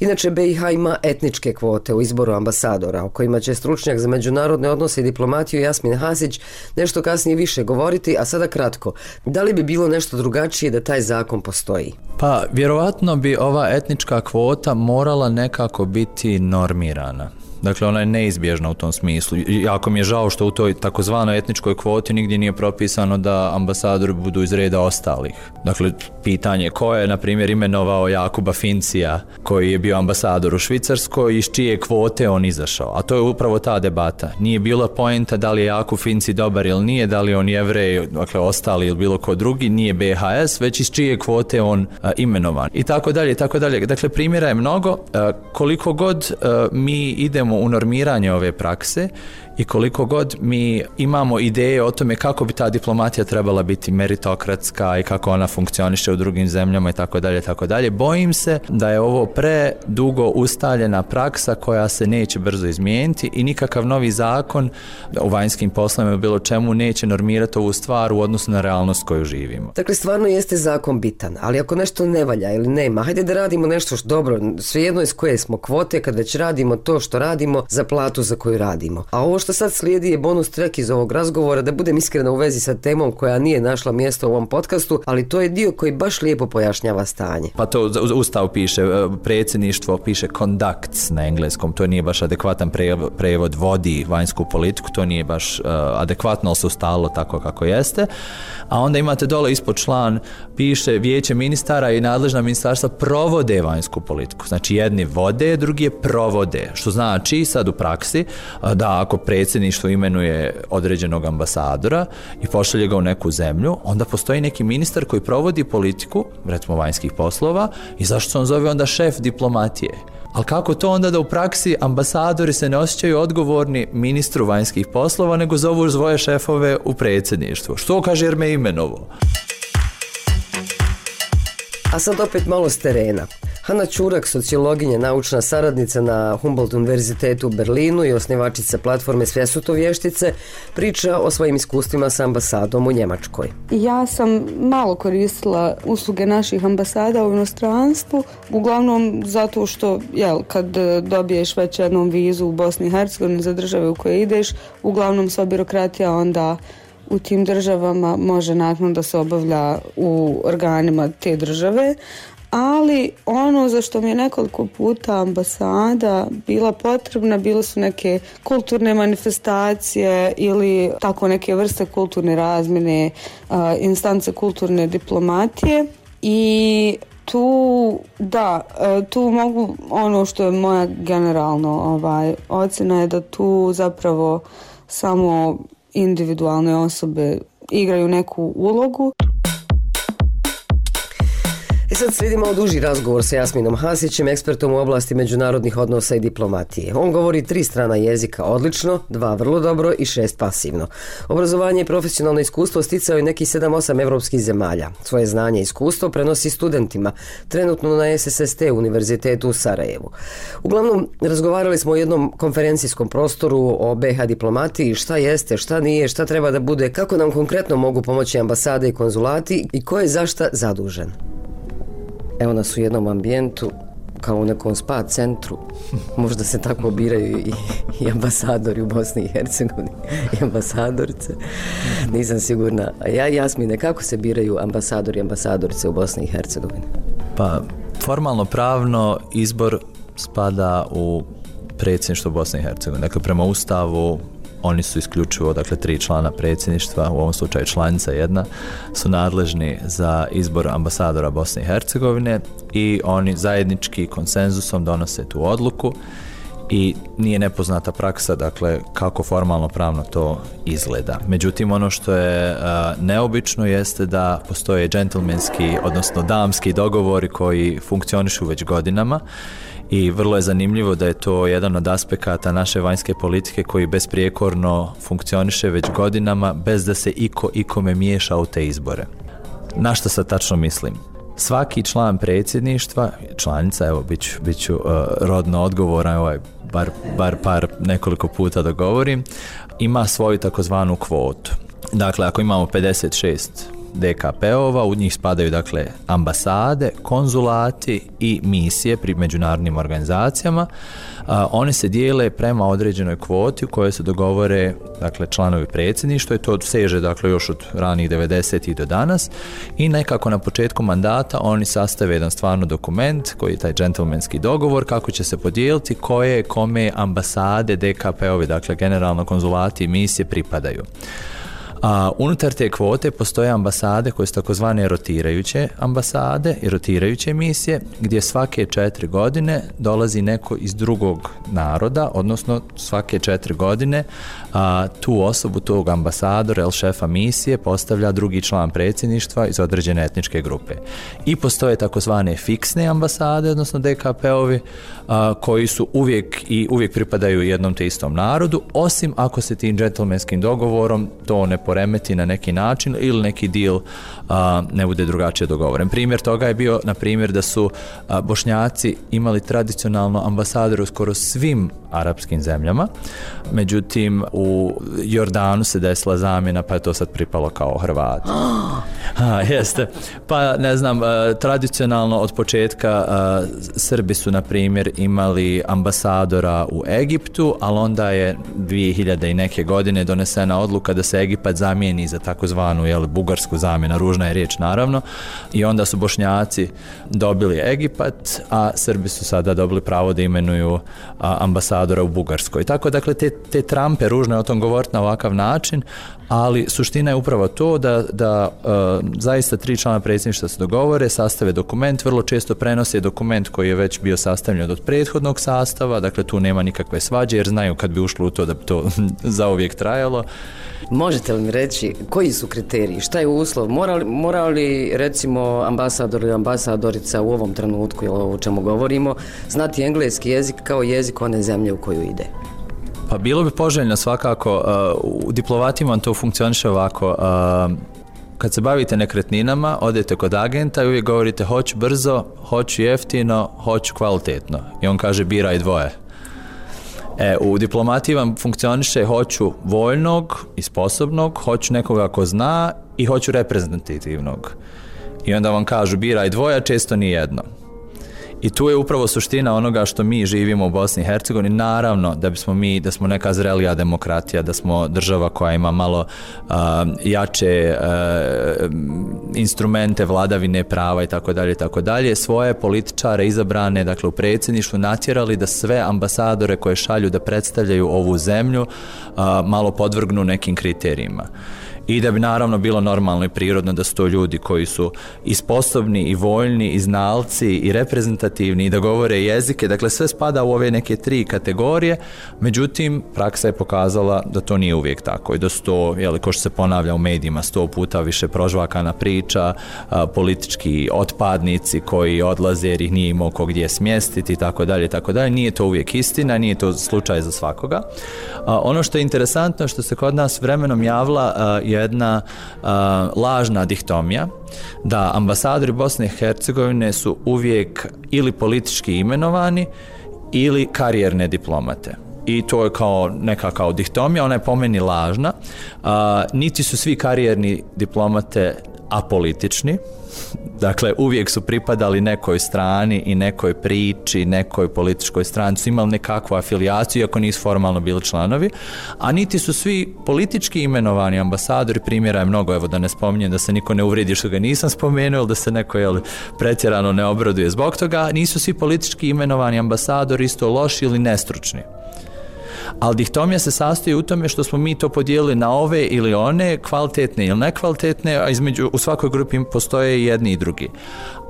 Inače, BiH ima etničke kvote u izboru ambasadora, o kojima će stručnjak za međunarodne odnose i diplomatiju Jasmin Hasić nešto kasnije više govoriti, a sada kratko. Da li bi bilo nešto drugačije da taj zakon postoji? Pa, vjerovatno bi ova etnička kvota morala nekako biti normirana. Dakle, ona je neizbježna u tom smislu. Jako mi je žao što u toj takozvanoj etničkoj kvoti nigdje nije propisano da ambasadori budu iz reda ostalih. Dakle, pitanje ko je, na primjer, imenovao Jakuba Fincija, koji je bio ambasador u Švicarskoj, iz čije kvote on izašao. A to je upravo ta debata. Nije bila poenta da li je Jakub Finci dobar ili nije, da li on Jevrej, dakle, ostali ili bilo ko drugi, nije BHS, već iz čije kvote on imenovan. I tako dalje, i tako dalje. Dakle, primjera je mnogo. Koliko god mi idemo u normiranje ove prakse i koliko god mi imamo ideje o tome kako bi ta diplomatija trebala biti meritokratska i kako ona funkcioniše u drugim zemljama i tako dalje, bojim se da je ovo predugo ustaljena praksa koja se neće brzo izmijeniti i nikakav novi zakon u vanjskim poslovima ili bilo čemu neće normirati ovu stvar u odnosu na realnost koju živimo. Dakle, stvarno jeste zakon bitan, ali ako nešto ne valja ili nema, hajde da radimo nešto što dobro, svejedno iz koje smo kvote, kad već radimo to što radimo za platu za koju radimo. A ovo što sad slijedi je bonus track iz ovog razgovora, da budem iskrena u vezi sa temom koja nije našla mjesto u ovom podcastu, ali to je dio koji baš lijepo pojašnjava stanje. Pa to Ustav piše, predsjedništvo piše conducts na engleskom, to nije baš adekvatan prevod, vodi vanjsku politiku, to nije baš adekvatno, ali se ustalilo tako kako jeste. A onda imate dole ispod član, piše vijeće ministara i nadležna ministarstva provode vanjsku politiku. Znači jedni vode, drugi je provode, što znači sad u praksi da ako predsjedništvo imenuje određenog ambasadora i pošalje ga u neku zemlju, onda postoji neki ministar koji provodi politiku, recimo vanjskih poslova, i zašto se on zove onda šef diplomatije? Ali kako to onda da u praksi ambasadori se ne osjećaju odgovorni ministru vanjskih poslova, nego zovu svoje šefove u predsjedništvu? Što kaže jer me imenovo? A sad opet malo s terena. Hanna Ćurak, sociologinja, naučna saradnica na Humboldt univerzitetu u Berlinu i osnivačica platforme Svjesuto vještice, priča o svojim iskustvima sa ambasadom u Njemačkoj. Ja sam malo koristila usluge naših ambasada u inostranstvu, uglavnom zato što kad dobiješ već jednom vizu u Bosni i Hercegovini za države u koje ideš, uglavnom sva birokratija onda u tim državama može naknadno da se obavlja u organima te države, ali ono za što mi je nekoliko puta ambasada bila potrebna, bile su neke kulturne manifestacije ili tako neke vrste kulturne razmjene, instance kulturne diplomatije i tu mogu, ono što je moja generalno ocjena je da tu zapravo samo individualne osobe igraju neku ulogu. Sad slijedi malo duži razgovor sa Jasminom Hasićem, ekspertom u oblasti međunarodnih odnosa i diplomatije. On govori 3 strana jezika odlično, 2 vrlo dobro i 6 pasivno. Obrazovanje i profesionalno iskustvo sticao je nekih 7-8 evropskih zemalja. Svoje znanje i iskustvo prenosi studentima, trenutno na SSST univerzitetu u Sarajevu. Uglavnom, razgovarali smo o jednom konferencijskom prostoru, o BiH diplomatiji, šta jeste, šta nije, šta treba da bude, kako nam konkretno mogu pomoći ambasade i konzulati i ko je za šta zadužen. Evo nas u jednom ambijentu, kao u nekom spa centru. Možda se tako biraju i ambasadori u Bosni i Hercegovini i ambasadorice. Nisam sigurna. A Jasmine, kako se biraju ambasadori i ambasadorice u Bosni i Hercegovini? Pa, formalno pravno izbor spada u predsjedništvo Bosne i Hercegovine. Dakle, prema Ustavu oni su isključivo, 3 člana predsjedništva, u ovom slučaju članica jedna, su nadležni za izbor ambasadora Bosne i Hercegovine i oni zajednički konsenzusom donose tu odluku i nije nepoznata praksa, kako formalno pravno to izgleda. Međutim, ono što je neobično jeste da postoje džentlmenski, odnosno damski dogovori koji funkcionišu već godinama. I vrlo je zanimljivo da je to jedan od aspekata naše vanjske politike koji besprijekorno funkcioniše već godinama bez da se ikome miješa u te izbore. Na što sad tačno mislim? Svaki član predsjedništva, članica, evo bit ću rodno odgovoran, bar nekoliko puta da govorim, ima svoju takozvanu kvotu. Dakle, ako imamo 56 DKP-ova, u njih spadaju dakle ambasade, konzulati i misije pri međunarodnim organizacijama. One se dijele prema određenoj kvoti u kojoj se dogovore dakle članovi predsjedništva i to seže dakle još od ranih 90-ih do danas i nekako na početku mandata oni sastave jedan stvarno dokument koji je taj džentlmenski dogovor kako će se podijeliti koje kome ambasade DKP-ovi, dakle generalno konzulati i misije pripadaju. Unutar te kvote postoje ambasade koje su takozvane rotirajuće ambasade i rotirajuće misije gdje svake 4 godine dolazi neko iz drugog naroda, odnosno svake 4 godine tu osobu, tog ambasadora ili šefa misije postavlja drugi član predsjedništva iz određene etničke grupe. I postoje takozvane fiksne ambasade, odnosno DKP-ovi koji su uvijek pripadaju jednom te istom narodu, osim ako se tim džentlmenskim dogovorom to ne poremeti na neki način ili neki deal ne bude drugačije dogovoren. Primjer toga je bio, na primjer, da su Bošnjaci imali tradicionalno ambasadore u skoro svim arapskim zemljama, međutim u Jordanu se desila zamjena pa je to sad pripalo kao Hrvati. Jeste. Pa ne znam, tradicionalno od početka Srbi su na primjer imali ambasadora u Egiptu, ali onda je 2000 i neke godine donesena odluka da se Egipat zamijeni za takozvanu bugarsku zamjenu, ružna je riječ naravno, i onda su Bošnjaci dobili Egipat, a Srbi su sada dobili pravo da imenuju ambasadora u Bugarskoj. Tako dakle te trampe, ružno je o tom govoriti na ovakav način, ali suština je upravo to da zaista 3 člana predsjedništva se dogovore, sastave dokument, vrlo često prenose dokument koji je već bio sastavljen od prethodnog sastava, dakle tu nema nikakve svađe jer znaju kad bi ušlo u to da bi to zauvijek trajalo. Možete li mi reći koji su kriteriji, šta je uslov, mora li recimo ambasador ili ambasadorica u ovom trenutku ili o čemu govorimo znati engleski jezik kao jezik one zemlje u koju ide? Pa bilo bi poželjno svakako, u diplomatima to funkcioniše ovako, kad se bavite nekretninama, odete kod agenta i uvijek govorite hoću brzo, hoću jeftino, hoću kvalitetno i on kaže biraj dvoje. U diplomatiji vam funkcioniše hoću voljnog i sposobnog, hoću nekoga ko zna i hoću reprezentativnog. I onda vam kažu biraj dvoje, često ni jedno. I tu je upravo suština onoga što mi živimo u Bosni i Hercegovini. Naravno da smo neka zrelija demokratija, da smo država koja ima malo jače instrumente vladavine prava i tako dalje, svoje političare izabrane dakle u predsjedništvu natjerali da sve ambasadore koje šalju da predstavljaju ovu zemlju malo podvrgnu nekim kriterijima. I da bi naravno bilo normalno i prirodno da su to ljudi koji su i sposobni i voljni i znalci i reprezentativni i da govore jezike, dakle sve spada u ove neke 3 kategorije, međutim praksa je pokazala da to nije uvijek tako i da su to, ko što se ponavlja u medijima 100 puta više prožvakana priča, politički otpadnici koji odlaze jer ih nije imao ko gdje smjestiti i tako dalje, nije to uvijek istina, nije to slučaj za svakoga. Ono što je interesantno što se kod nas vremenom javila jedna lažna dihtomija da ambasadori Bosne i Hercegovine su uvijek ili politički imenovani ili karijerne diplomate. I to je kao dihtomija, ona je po meni lažna. Niti su svi karijerni diplomate apolitični, dakle uvijek su pripadali nekoj strani i nekoj priči, nekoj političkoj stranci, imali nekakvu afilijaciju iako nisu formalno bili članovi, a niti su svi politički imenovani ambasadori, primjera je mnogo, evo da ne spominjem da se niko ne uvredi što ga nisam spomenuo ili da se neko pretjerano ne obraduje zbog toga, nisu svi politički imenovani ambasadori isto loši ili nestručni. Ali dihtomija se sastoji u tome što smo mi to podijelili na ove ili one, kvalitetne ili nekvalitetne, a u svakoj grupi postoje i jedni i drugi.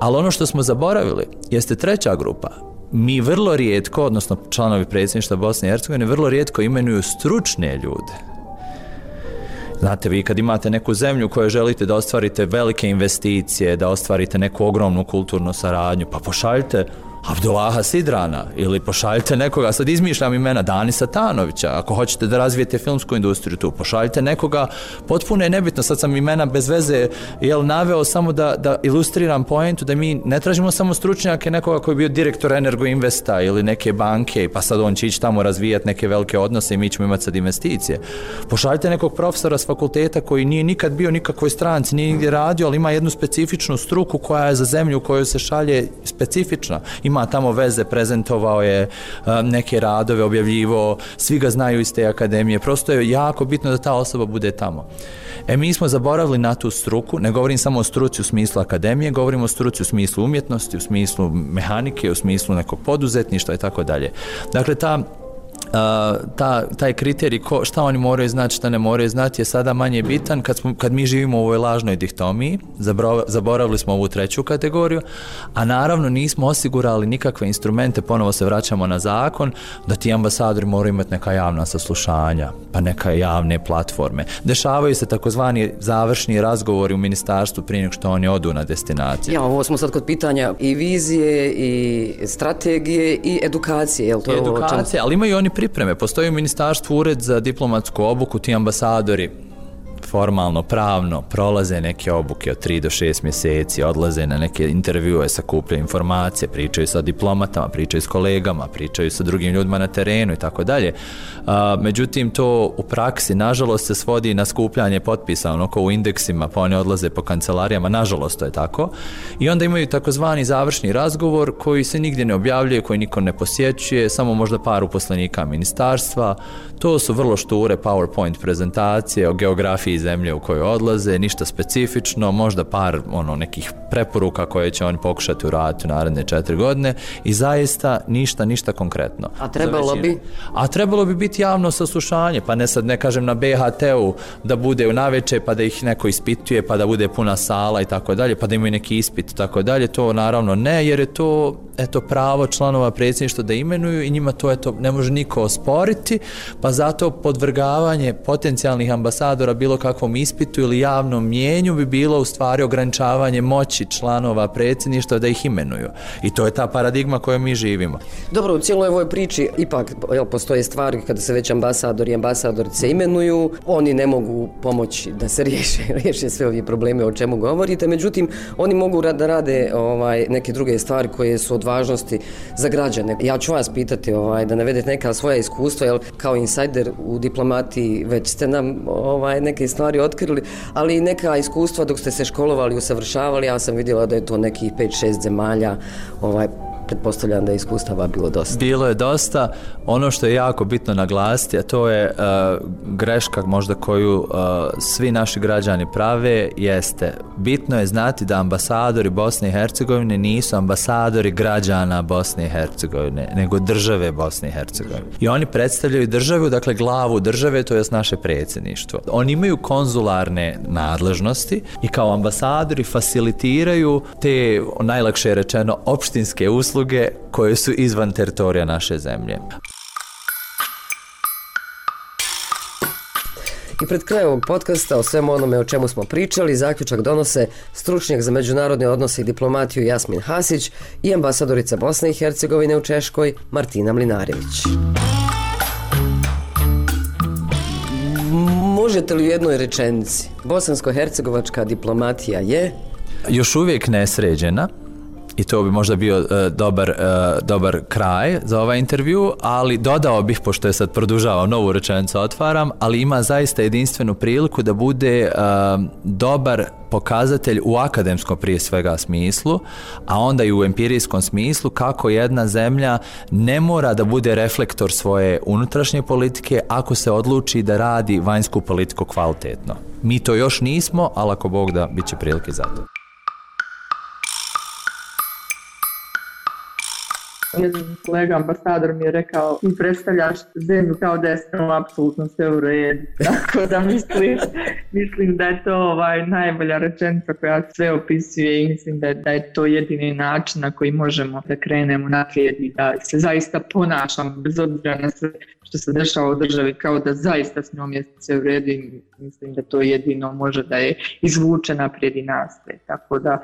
Ali ono što smo zaboravili jeste 3. grupa. Mi vrlo rijetko, odnosno članovi predsjedništva Bosne i Hercegovine, vrlo rijetko imenuju stručne ljude. Znate, vi kad imate neku zemlju u kojoj želite da ostvarite velike investicije, da ostvarite neku ogromnu kulturnu saradnju, pa pošaljite Abdullaha Sidrana ili pošaljite nekoga, sad izmišljam imena, Dani Satanovića, ako hoćete da razvijete filmsku industriju tu, pošaljite nekoga, potpuno je nebitno, sad sam imena bez veze naveo samo da ilustriram poentu, da mi ne tražimo samo stručnjake nekoga koji je bio direktor Energoinvesta ili neke banke, pa sad on će ići tamo razvijati neke velike odnose i mi ćemo imati sad investicije. Pošaljite nekog profesora s fakulteta koji nije nikad bio nikakvoj stranci, nije nigdje radio, ali ima jednu specifičnu struku koja je za zemlju u kojoj se šalje specifična. Ima tamo veze, prezentovao je neke radove, objavljivo, svi ga znaju iz te akademije. Prosto je jako bitno da ta osoba bude tamo. Mi smo zaboravili na tu struku, ne govorim samo o struci u smislu akademije, govorim o struci u smislu umjetnosti, u smislu mehanike, u smislu nekog poduzetništva i tako dalje. Dakle, taj kriterij šta oni moraju znati, šta ne moraju znati je sada manje bitan kad mi živimo u ovoj lažnoj dihtomiji, zaboravili smo ovu treću kategoriju, a naravno nismo osigurali nikakve instrumente, ponovo se vraćamo na zakon, da ti ambasadori moraju imati neka javna saslušanja, pa neka javne platforme. Dešavaju se takozvani završni razgovori u ministarstvu prije nego što oni odu na destinaciju. Ja, ovo smo sad kod pitanja i vizije, i strategije, i edukacije. Jel to je edukacije, ali imaju oni pripreme. Postoji u ministarstvu ured za diplomatsku obuku, ti ambasadori formalno, pravno prolaze neke obuke od 3 do 6 mjeseci, odlaze na neke intervjue, sakupljaju informacije, pričaju sa diplomatama, pričaju s kolegama, pričaju sa drugim ljudima na terenu i tako dalje. Međutim, to u praksi, nažalost, se svodi na skupljanje potpisa, onako u indeksima, pa oni odlaze po kancelarijama, nažalost to je tako. I onda imaju takozvani završni razgovor koji se nigdje ne objavljuje, koji niko ne posjećuje, samo možda par uposlenika ministarstva. To su vrlo šture PowerPoint prezentacije o geografiji zemlje u kojoj odlaze, ništa specifično, možda par nekih preporuka koje će oni pokušati uraditi u naredne 4 godine i zaista ništa konkretno. A trebalo bi? A trebalo bi biti javno saslušanje, pa ne kažem na BHT-u da bude u naveče pa da ih neko ispituje pa da bude puna sala i tako dalje, pa da imaju neki ispit i tako dalje, to naravno ne, jer je to pravo članova predsjedništva da imenuju i njima to ne može niko osporiti, pa zato podvrgavanje potencijalnih ambasadora bilo kakvom ispitu ili javnom mjenju bi bilo u stvari ograničavanje moći članova predsjedništva da ih imenuju. I to je ta paradigma kojom mi živimo. Dobro, u cijeloj ovoj priči ipak postoje stvari kada se već ambasadori i ambasadorice imenuju, oni ne mogu pomoći da se riješe sve ove probleme o čemu govorite, međutim oni mogu da rade neke druge stvari koje su od važnosti za građane. Ja ću vas pitati da navedete neka svoja iskustva, jer kao insajder u diplomatiji već ste nam neke stvari otkrili, ali i neka iskustva dok ste se školovali, usavršavali, ja sam vidjela da je to nekih 5-6 zemalja, pretpostavljam da je iskustava bilo dosta. Bilo je dosta. Ono što je jako bitno naglasiti, a to je greška možda koju svi naši građani prave, jeste bitno je znati da ambasadori Bosne i Hercegovine nisu ambasadori građana Bosne i Hercegovine, nego države Bosne i Hercegovine. I oni predstavljaju državu, dakle glavu države, to je naše predsjedništvo. Oni imaju konzularne nadležnosti i kao ambasadori facilitiraju te, najlakše rečeno, opštinske usluge koje su izvan teritorija naše zemlje. I pred krajem ovog podcasta o svemu onome o čemu smo pričali, zaključak donose stručnjak za međunarodne odnose i diplomatiju Jasmin Hasić i ambasadorica Bosne i Hercegovine u Češkoj Martina Mlinarević. Možete li u jednoj rečenici, bosansko-hercegovačka diplomatija je? Još uvijek nesređena. I to bi možda bio dobar kraj za ovaj intervju, ali dodao bih, pošto je sad produžavam, novu rečenicu otvaram, ali ima zaista jedinstvenu priliku da bude dobar pokazatelj u akademskom prije svega smislu, a onda i u empirijskom smislu kako jedna zemlja ne mora da bude reflektor svoje unutrašnje politike ako se odluči da radi vanjsku politiku kvalitetno. Mi to još nismo, ali ako Bog da, bit će prilike za to. Jedan kolega ambasador mi je rekao, ti predstavljaš zemlju kao da je apsolutno sve u redu. Tako da mislim da je to najbolja rečenica koja sve opisuje i mislim da je to jedini način na koji možemo da krenemo naprijed i da se zaista ponašamo bez obzira na sve što se dešava u državi, kao da zaista s njom je sve u redu i mislim da to jedino može da je izvuče naprijed i nastaje. Tako da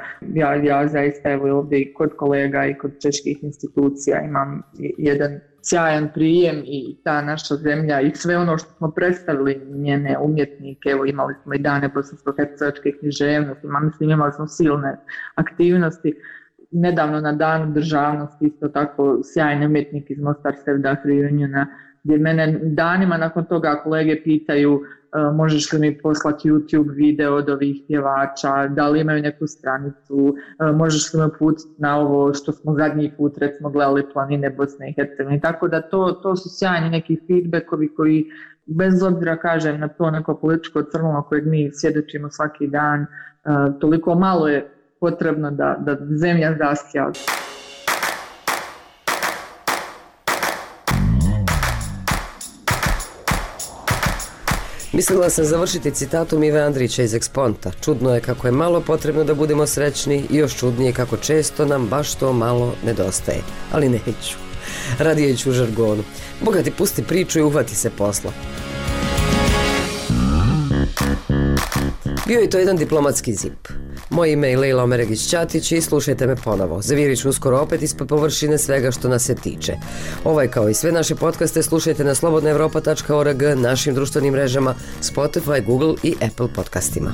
ja zaista evo ovdje i kod kolega i kod čeških institucija imam jedan sjajan prijem i ta naša zemlja i sve ono što smo predstavili njene umjetnike, evo imali smo i dane bosansko-hercegovačke književnosti, imali smo silne aktivnosti. Nedavno na danu državnosti isto tako sjajni umjetnik iz Mostar Sevdah Reuniona, gdje mene danima nakon toga kolege pitaju možeš li mi poslati YouTube video od ovih pjevača, da li imaju neku stranicu, možeš li me putiti na ovo što smo zadnji put recimo gledali planine Bosne i Hercegovine. Tako da to su sjajni neki feedbackovi koji bez obzira kažem na to neko političko crno kojeg mi svjedočimo svaki dan, toliko malo je potrebno da zemlja zaskija. Mislila sam završiti citatom Ive Andrića iz Eksponta. Čudno je kako je malo potrebno da budemo srećni i još čudnije kako često nam baš to malo nedostaje. Ali neću. Radije ću u žargonu. Boga ti pusti priču i uhvati se posla. Bio je to jedan diplomatski zip. Moje ime je Lejla Omeregić-Ćatić i slušajte me ponovo. Zavirit ću uskoro opet ispod površine svega što nas se tiče. Ovaj kao i sve naše podcaste slušajte na slobodnaevropa.org, našim društvenim mrežama, Spotify, Google i Apple podcastima.